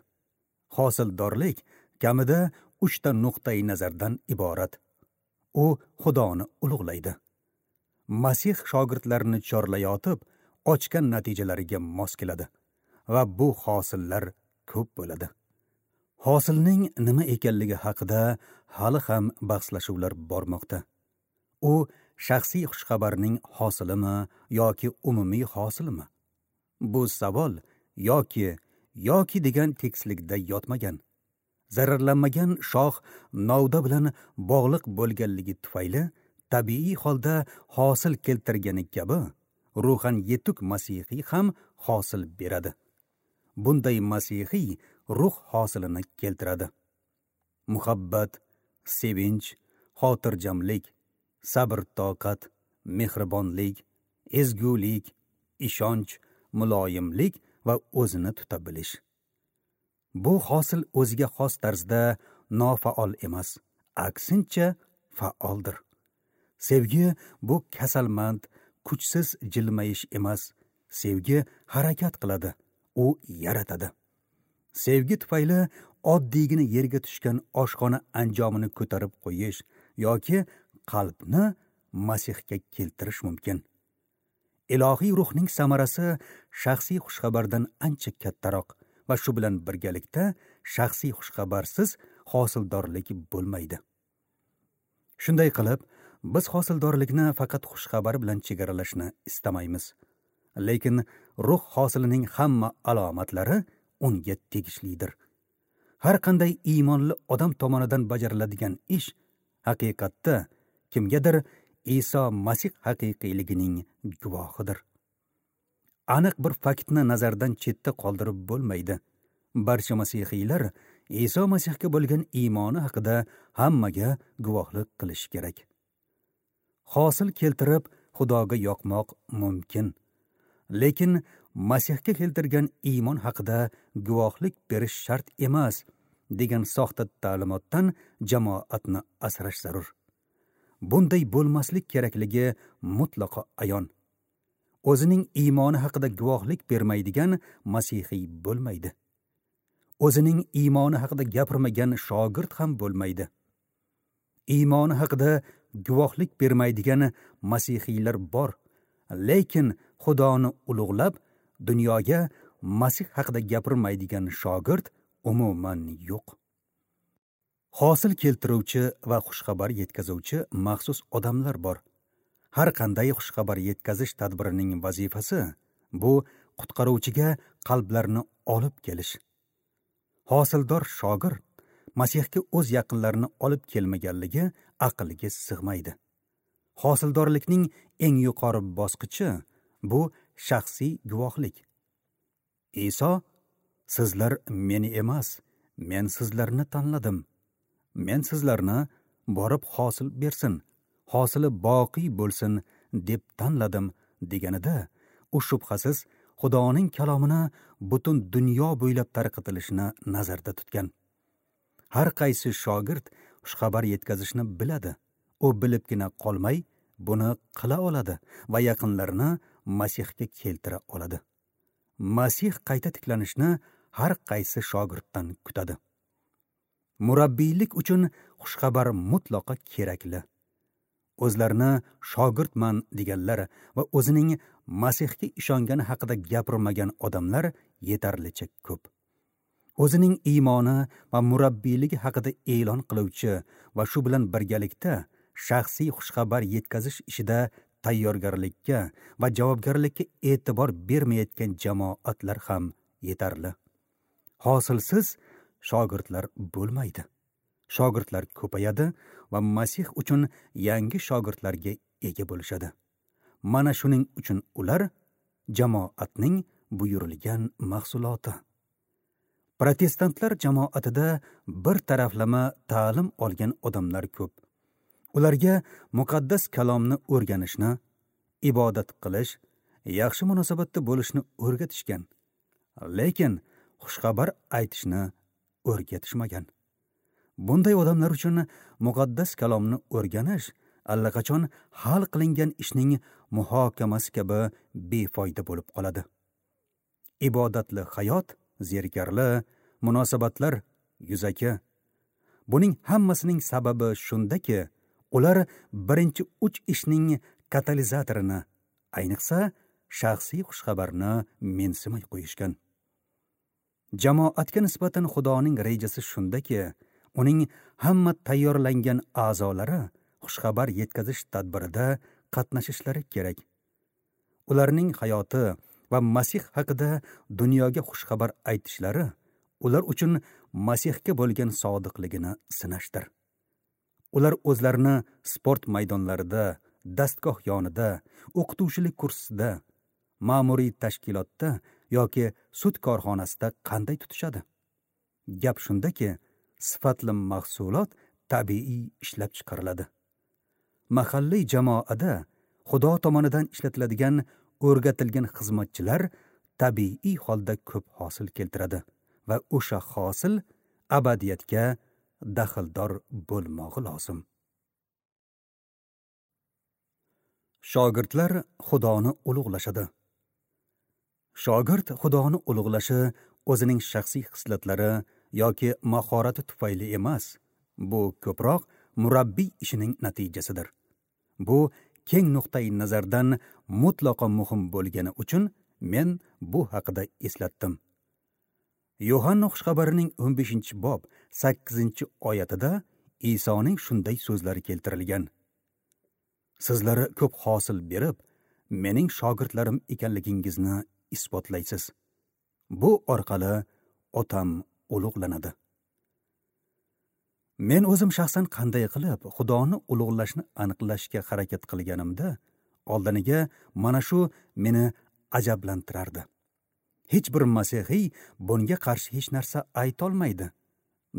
Hosildorlik kamida 3 ta nuqtai nazardan iborat. U Xudoni ulug'laydi. Masih shogirdlarini chorlayotib, ochgan natijalariga mos keladi va bu hosillar ko'p bo'ladi. Hosilning nima ekanligi haqida hali ham bahslashuvlar bormoqda. U shaxsiy xushxabarning hosilimi yoki umumiy hosilimi? Bu savol yoki degan tekislikda yotmagan. Zararlanmagan shox novda bilan bog'liq bo'lganligi tufayli tabiiy holda hosil keltirgani kabi ruhan yetuk masihiy ham hosil beradi. Bunday masihiy ruh hosilini keltiradi. Muhabbat, sevinch, xotirjamlik, sabr-toqat, mehribonlik, ezgulik, ishonch, muloyimlik va o'zini tuta bilish. Bu hosil o'ziga xos tarzda nofaol emas, aksincha faoldir. Sevgi bu kasalmand, kuchsiz jilmayish emas. Sevgi harakat qiladi, u yaratadi. Sevgi tufayli oddiygina yerga tushgan oshxona anjomini ko'tarib qo'yish yoki qalbni Masihga keltirish mumkin. Ilohiy ruhning samarasi shaxsiy xushxabardan ancha kattaroq va shu bilan birgalikda shaxsiy xushxabarsiz hosildorlik bo'lmaydi. Shunday qilib, biz hosildorlikni faqat xushxabar bilan chegaralashni istamaymiz. Lekin ruh hosilining hamma alomatlari unga tegishlidir. Har qanday iymonli odam tomonidan bajariladigan ish haqiqatda kimgadir Iso Masih haqiqiyligining guvohidir. Aniq bir faktni nazardan chetda qoldirib bo'lmaydi. Barcha masihiylar Iso Masihga bo'lgan iymoni haqida hammaga guvohlik qilish kerak. Hosil keltirib Xudoga yoqmoq mumkin. Lekin Masihga keltirgan iymon haqida guvohlik berish shart emas degan soxta ta'limotdan jamoatni asrash zarur. Bunday bo'lmaslik kerakligi mutlaqo ayon. O'zining iymoni haqida guvohlik bermaydigan masihiy bo'lmaydi. O'zining iymoni haqida gapirmagan shogird ham bo'lmaydi. Iymoni haqida guvohlik bermaydigan masihiylar bor, lekin Xudoni ulug'lab dunyoga Masih haqida gapirmaydigan shogird umuman yo'q. Hosil keltiruvchi va xushxabar yetkazuvchi maxsus odamlar bor. Har qanday xushxabar yetkazish tadbirining vazifasi bu qutqaruvchiga qalblarni olib kelish. Hosildor shogird Masihga o'z yaqinlarini olib kelmaganligi aqlga sig'maydi. Hosildorlikning eng yuqori bosqichi bu shaxsiy guvohlik. Iso, sizlar meni emas, men sizlarni tanladim. Men sizlarni borib hosil bersin, hosili boqiy bo'lsin deb tanladim deganida, u shubhasiz Xudoning kalomini butun dunyo bo'ylab tarqatilishini nazarda tutgan. Har qaysi shogird xushxabar yetkazishni biladi. U bilibgina qolmay, buni qila oladi va yaqinlarini Masihga keltira oladi. Masih qayta tiklanishni har qaysi shogirddan kutadi. Murabbiylik uchun xushxabar mutlaqo kerakli. O'zlarini shogirdman deganlar va o'zining Masihga ishongani haqida gapirmagan odamlar yetarlicha ko'p. O'zining iymoni va murabbiyligi haqida e'lon qiluvchi va shu bilan birgalikda shaxsiy xushxabar yetkazish ishida tayyorgarlikka va javobgarlikka e'tibor bermayotgan jamoatlar ham yetarli. Hosilsiz shogirdlar bo'lmaydi. Shogirdlar ko'payadi va Masih uchun yangi shogirdlarga ega bo'lishadi. Mana shuning uchun ular jamoatning buyurilgan mahsuloti. Protestantlar jamoatida bir taraflama ta'lim olgan odamlar ko'p. Ularga muqaddas kalomni o'rganishni, ibodat qilish, yaxshi munosabatda bo'lishni o'rgatishgan, lekin xushxabar aytishni o'rgatishmagan. Bunday odamlar uchun muqaddas kalomni o'rganish allaqachon hal qilingan ishning muhokamasi kabi befoyda bo'lib qoladi. Ibodatli hayot zerikarli, munosabatlar yuzaki. Buning hammasining sababi shundaki, ular birinchi 3 ishning katalizatorini, ayniqsa shaxsiy xushxabarni mensimay qo'yishgan. Jamoatga nisbatan Xudoning rejasi shundaki, uning hamma tayyorlangan a'zolari xushxabar yetkazish tadbirida qatnashishlari kerak. Ularning hayoti va Masih haqida dunyoga xushxabar aytishlari ular uchun Masihga bo'lgan sodiqligini sinashdir. Ular o'zlarini sport maydonlarida, dastgoh yonida, o'qituvchilik kursida, ma'muriy tashkilotda yoki sud korxonasida qanday tutishadi? Gap shundaki, sifatli mahsulot tabiiy ishlab chiqariladi. Mahalliy jamoada Xudo tomonidan ishlatiladigan o'rgatilgan xizmatchilar tabiiy holda ko'p hosil keltiradi va o'sha hosil abadiyatga daxldor bo'lmog'i lozim. Shogirdlar Xudoni ulug'lashadi. Shogird Xudoni ulug'lashi o'zining shaxsiy xislatlari yoki mahorati tufayli emas, bu ko'proq murabbiy ishining natijasidir. Bu keng nuqtai nazardan mutlaqo muhim bo'lgani uchun men bu haqida eslatdim. Yohanna xushxabarining 15-bob 8-oyatida Isoning shunday so'zlari keltirilgan: Sizlar ko'p hosil berib, mening shogirdlarim ekanligingizni isbotlaysiz. Bu orqali Otam ulug'lanadi. Men o'zim shaxsan qanday qilib Xudoni ulug'lashni aniqlashga harakat qilganimda, oldiniga mana shu meni ajablantirardi. Hech bir masihiy bunga qarshi hech narsa ayta olmaydi.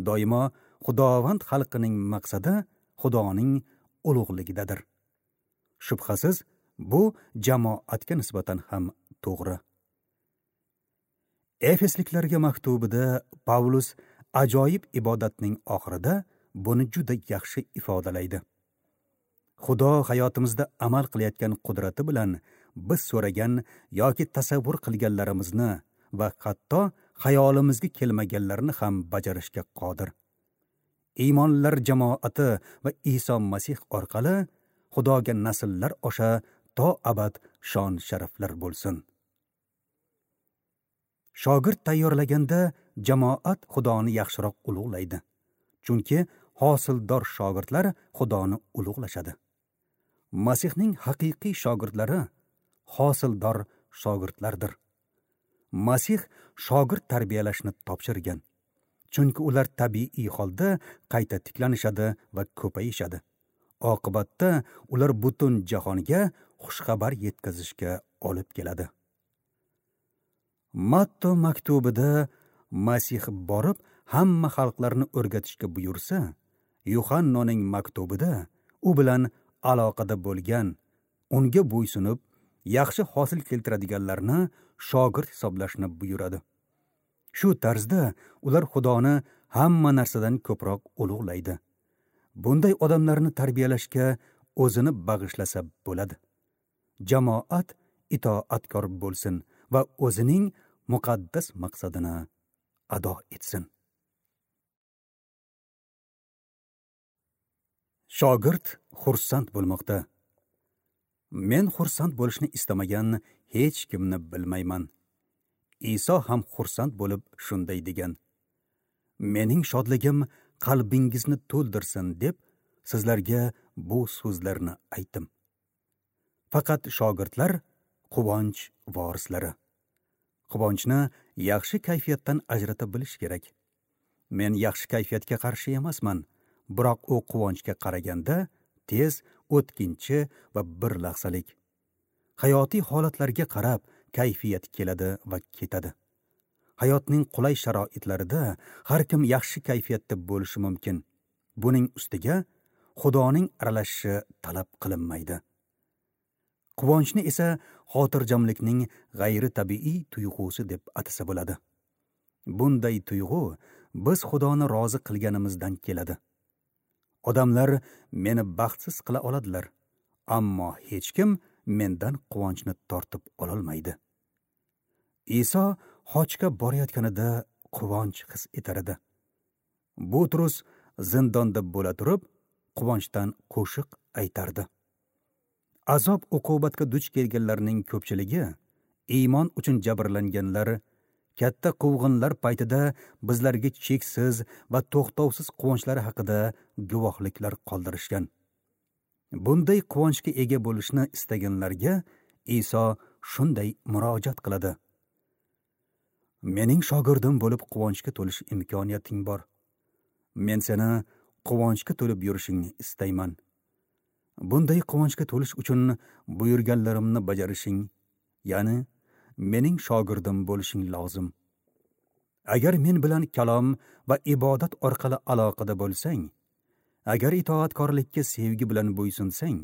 Doimo Xudovand xalqining maqsadi Xudoning ulug'ligidadir. Shubhasiz, bu jamoatga nisbatan ham to'g'ri. Efesliklarga maktubida Pavlus ajoyib ibodatning oxirida buni juda yaxshi ifodalaydi. Xudo hayotimizda amal qilayotgan qudrati bilan biz so'ragan yoki tasavvur qilganlarimizni va hatto xayolimizga kelmaganlarni ham bajarishga qodir. Iymonlar jamoati va Iso Masih orqali Xudoga nasllar osha to abad shon sharaflar bo'lsin. Shogird tayyorlaganda jamoat Xudoni yaxshiroq ulug'laydi. Chunki hosildor shogirdlar Xudoni ulug'lashadi. Masihning haqiqiy shogirdlari hosildor shogirdlardir. Masih shogird tarbiyalashni topshirgan. Chunki ular tabiiy holda qayta tiklanishadi va ko'payishadi. Oqibatda ular butun jahonga xushxabar yetkazishga olib keladi. Matto maktubida Masih borib hamma xalqlarni o'rgatishga buyursa, Yuhannoning maktubida u bilan aloqada bo'lgan, unga bo'ysunib, yaxshi hosil keltiradiganlarni shogird hisoblashni buyuradi. Shu tarzda ular Xudoni hamma narsadan ko'proq ulug'laydi. Bunday odamlarni tarbiyalashga o'zini bag'ishlasa bo'ladi. Jamoat itoatkor bo'lsin va o'zining muqaddas maqsadini ado etsin. Shogird xursand bo'lmoqda. Men xursand bo'lishni istamagan hech kimni bilmayman. Iso ham xursand bo'lib shunday degan: Mening shodligim qalbingizni to'ldirsin deb sizlarga bu so'zlarni aytdim. Faqat shogirdlar quvonch vorislari. Quvonchni yaxshi kayfiyatdan ajrata bilish kerak. Men yaxshi kayfiyatga qarshi emasman, biroq u quvonchga qaraganda tez, o'tkinchi va bir lahzalik. Hayotiy holatlarga qarab kayfiyat keladi va ketadi. Hayotning qulay sharoitlarida har kim yaxshi kayfiyatda bo'lishi mumkin. Buning ustiga Xudoning aralashishi talab qilinmaydi. Quvonchni esa xotirjamlikning g'ayritabiiy tuyg'usi deb atasa bo'ladi. Bunday tuyg'u biz Xudoni rozi qilganimizdan keladi. Odamlar meni baxtsiz qila oladilar, ammo hech kim mendan quvonchni tortib ololmaydi. Iso Hojga borayotganida quvonch his etar edi. Butrus zindonda bo'la turib, quvonchdan qo'shiq aytardi. Azob uqubatga duch kelganlarning ko'pchiligi, iymon uchun jabrlanganlar, katta quvg'inlar paytida bizlarga cheksiz va to'xtovsiz quvonchlari haqida guvohliklar qoldirishgan. Bunday quvonchga ega bo'lishni istaganlarga Iso shunday murojaat qiladi: Mening shogirdim bo'lib quvonchga to'lish imkoniyating bor. Men seni quvonchga to'lib yurishingni istayman. Bunday quvonchga to'lish uchun buyurganlarimni bajarishing, ya'ni mening shogirdim bo'lishing lozim. Agar men bilan kalom va ibodat orqali aloqada bo'lsang, agar itoatkorlikka sevgi bilan bo'ysunsang,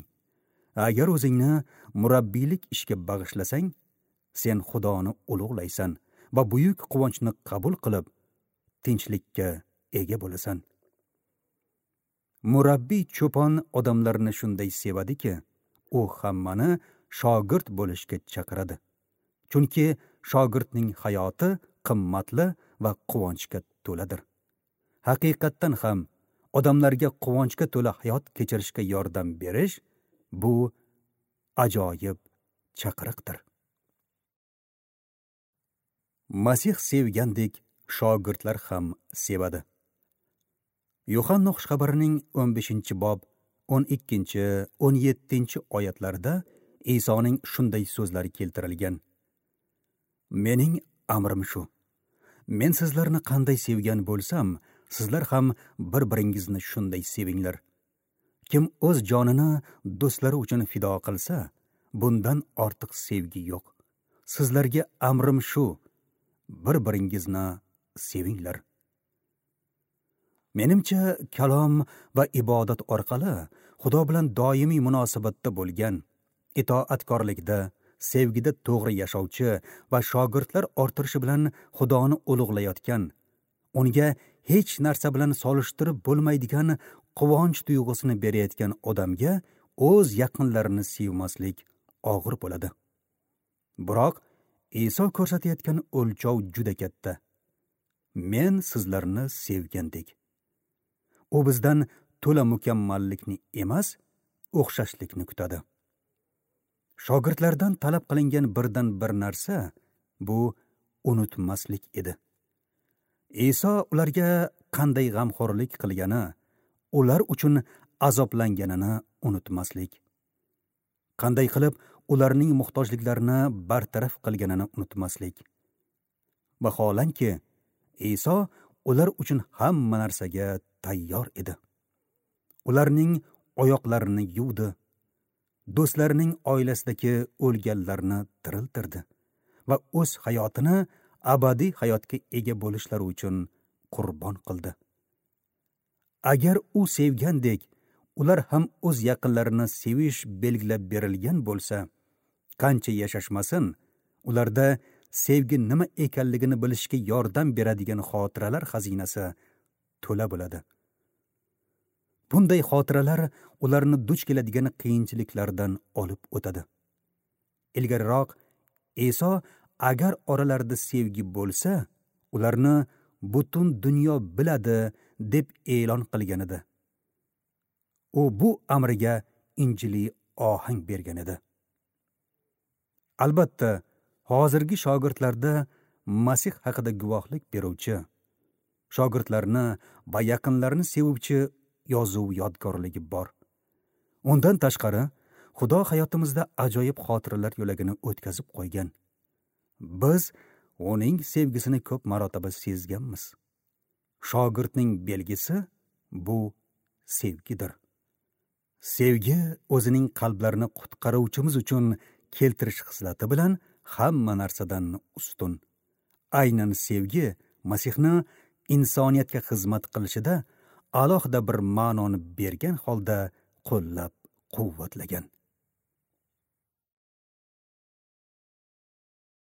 agar o'zingni murabbiylik ishga bag'ishlasang, sen Xudoni ulug'laysan va buyuk quvonchni qabul qilib, tinchlikka ega bo'lasan. Murabbiy cho'pon odamlarni shunday sevadiki, u hammani shogird bo'lishga chaqiradi. Chunki shogirdning hayoti qimmatli va quvonchga to'ladir. Haqiqatdan ham odamlarga quvonchga to'la hayot kechirishga yordam berish bu ajoyib chaqiriqdir. Masih sevgandek shogirdlar ham sevadi. Yuhanna xushxabarining 15-bob 12-17 oyatlarida Isoning shunday so'zlari keltirilgan: Mening amrim shu. Men sizlarni qanday sevgan bo'lsam, sizlar ham bir-biringizni shunday sevinglar. Kim o'z jonini do'stlari uchun fido qilsa, bundan ortiq sevgi yo'q. Sizlarga amrim shu: bir-biringizni sevinglar. Menimcha, kalom va ibodat orqali Xudo bilan doimiy munosabatda bo'lgan, itoatkorlikda, Sevgida to'g'ri yashovchi va shogirdlar orttirishi bilan Xudoni ulug'layotgan, unga hech narsa bilan solishtirib bo'lmaydigan quvonch tuyg'usini berayotgan odamga o'z yaqinlarini sevmaslik og'ir bo'ladi. Biroq Iso ko'rsatayotgan o'lchov juda katta. Men sizlarni sevgandek. U bizdan to'la mukammallikni emas, o'xshashlikni kutadi. Shogirdlardan talab qilingan birdan bir narsa bu unutmaslik edi. Iso ularga qanday g'amxo'rlik qilgani, ular uchun azoblanganini unutmaslik. Qanday qilib ularning muhtojliklarini bartaraf qilganini unutmaslik. Vaholanki, Iso ular uchun hamma narsaga tayyor edi. Ularning oyoqlarini yuvdi, do'stlarining oilasidagi o'lganlarni tiriltirdi va o'z hayotini abadiy hayotga ega bo'lishlari uchun qurbon qildi. Agar u sevgandek, ular ham o'z yaqinlarini sevish belgilab berilgan bo'lsa, qancha yashashmasin, ularda sevgi nima ekanligini bilishga yordam beradigan xotiralar xazinasi to'la bo'ladi. Bunday xotiralar ularni duch keladigan qiyinchiliklardan olib o'tadi. Ilgariroq Iso agar oralarida sevgi bo'lsa, ularni butun dunyo biladi deb e'lon qilgan edi. U bu amriga injiliy ohang bergan edi. Albatta, hozirgi shogirdlarda Masih haqida guvohlik beruvchi, shogirdlarni va yaqinlarini sevuvchi yozuv yodgorligi bor. Undan tashqari, Xudo hayotimizda ajoyib xotiralar yo'lagini o'tkazib qo'ygan. Biz uning sevgisini ko'p marotaba sezganmiz. Shogirdning belgisi bu sevgidir. Sevgi o'zining qalblarini qutqaruvchimiz uchun keltirish xislati bilan hamma narsadan ustun. Aynan sevgi Masihni insoniyatga xizmat qilishida alohida bir ma'noni bergan holda qo'llab quvvatlagan.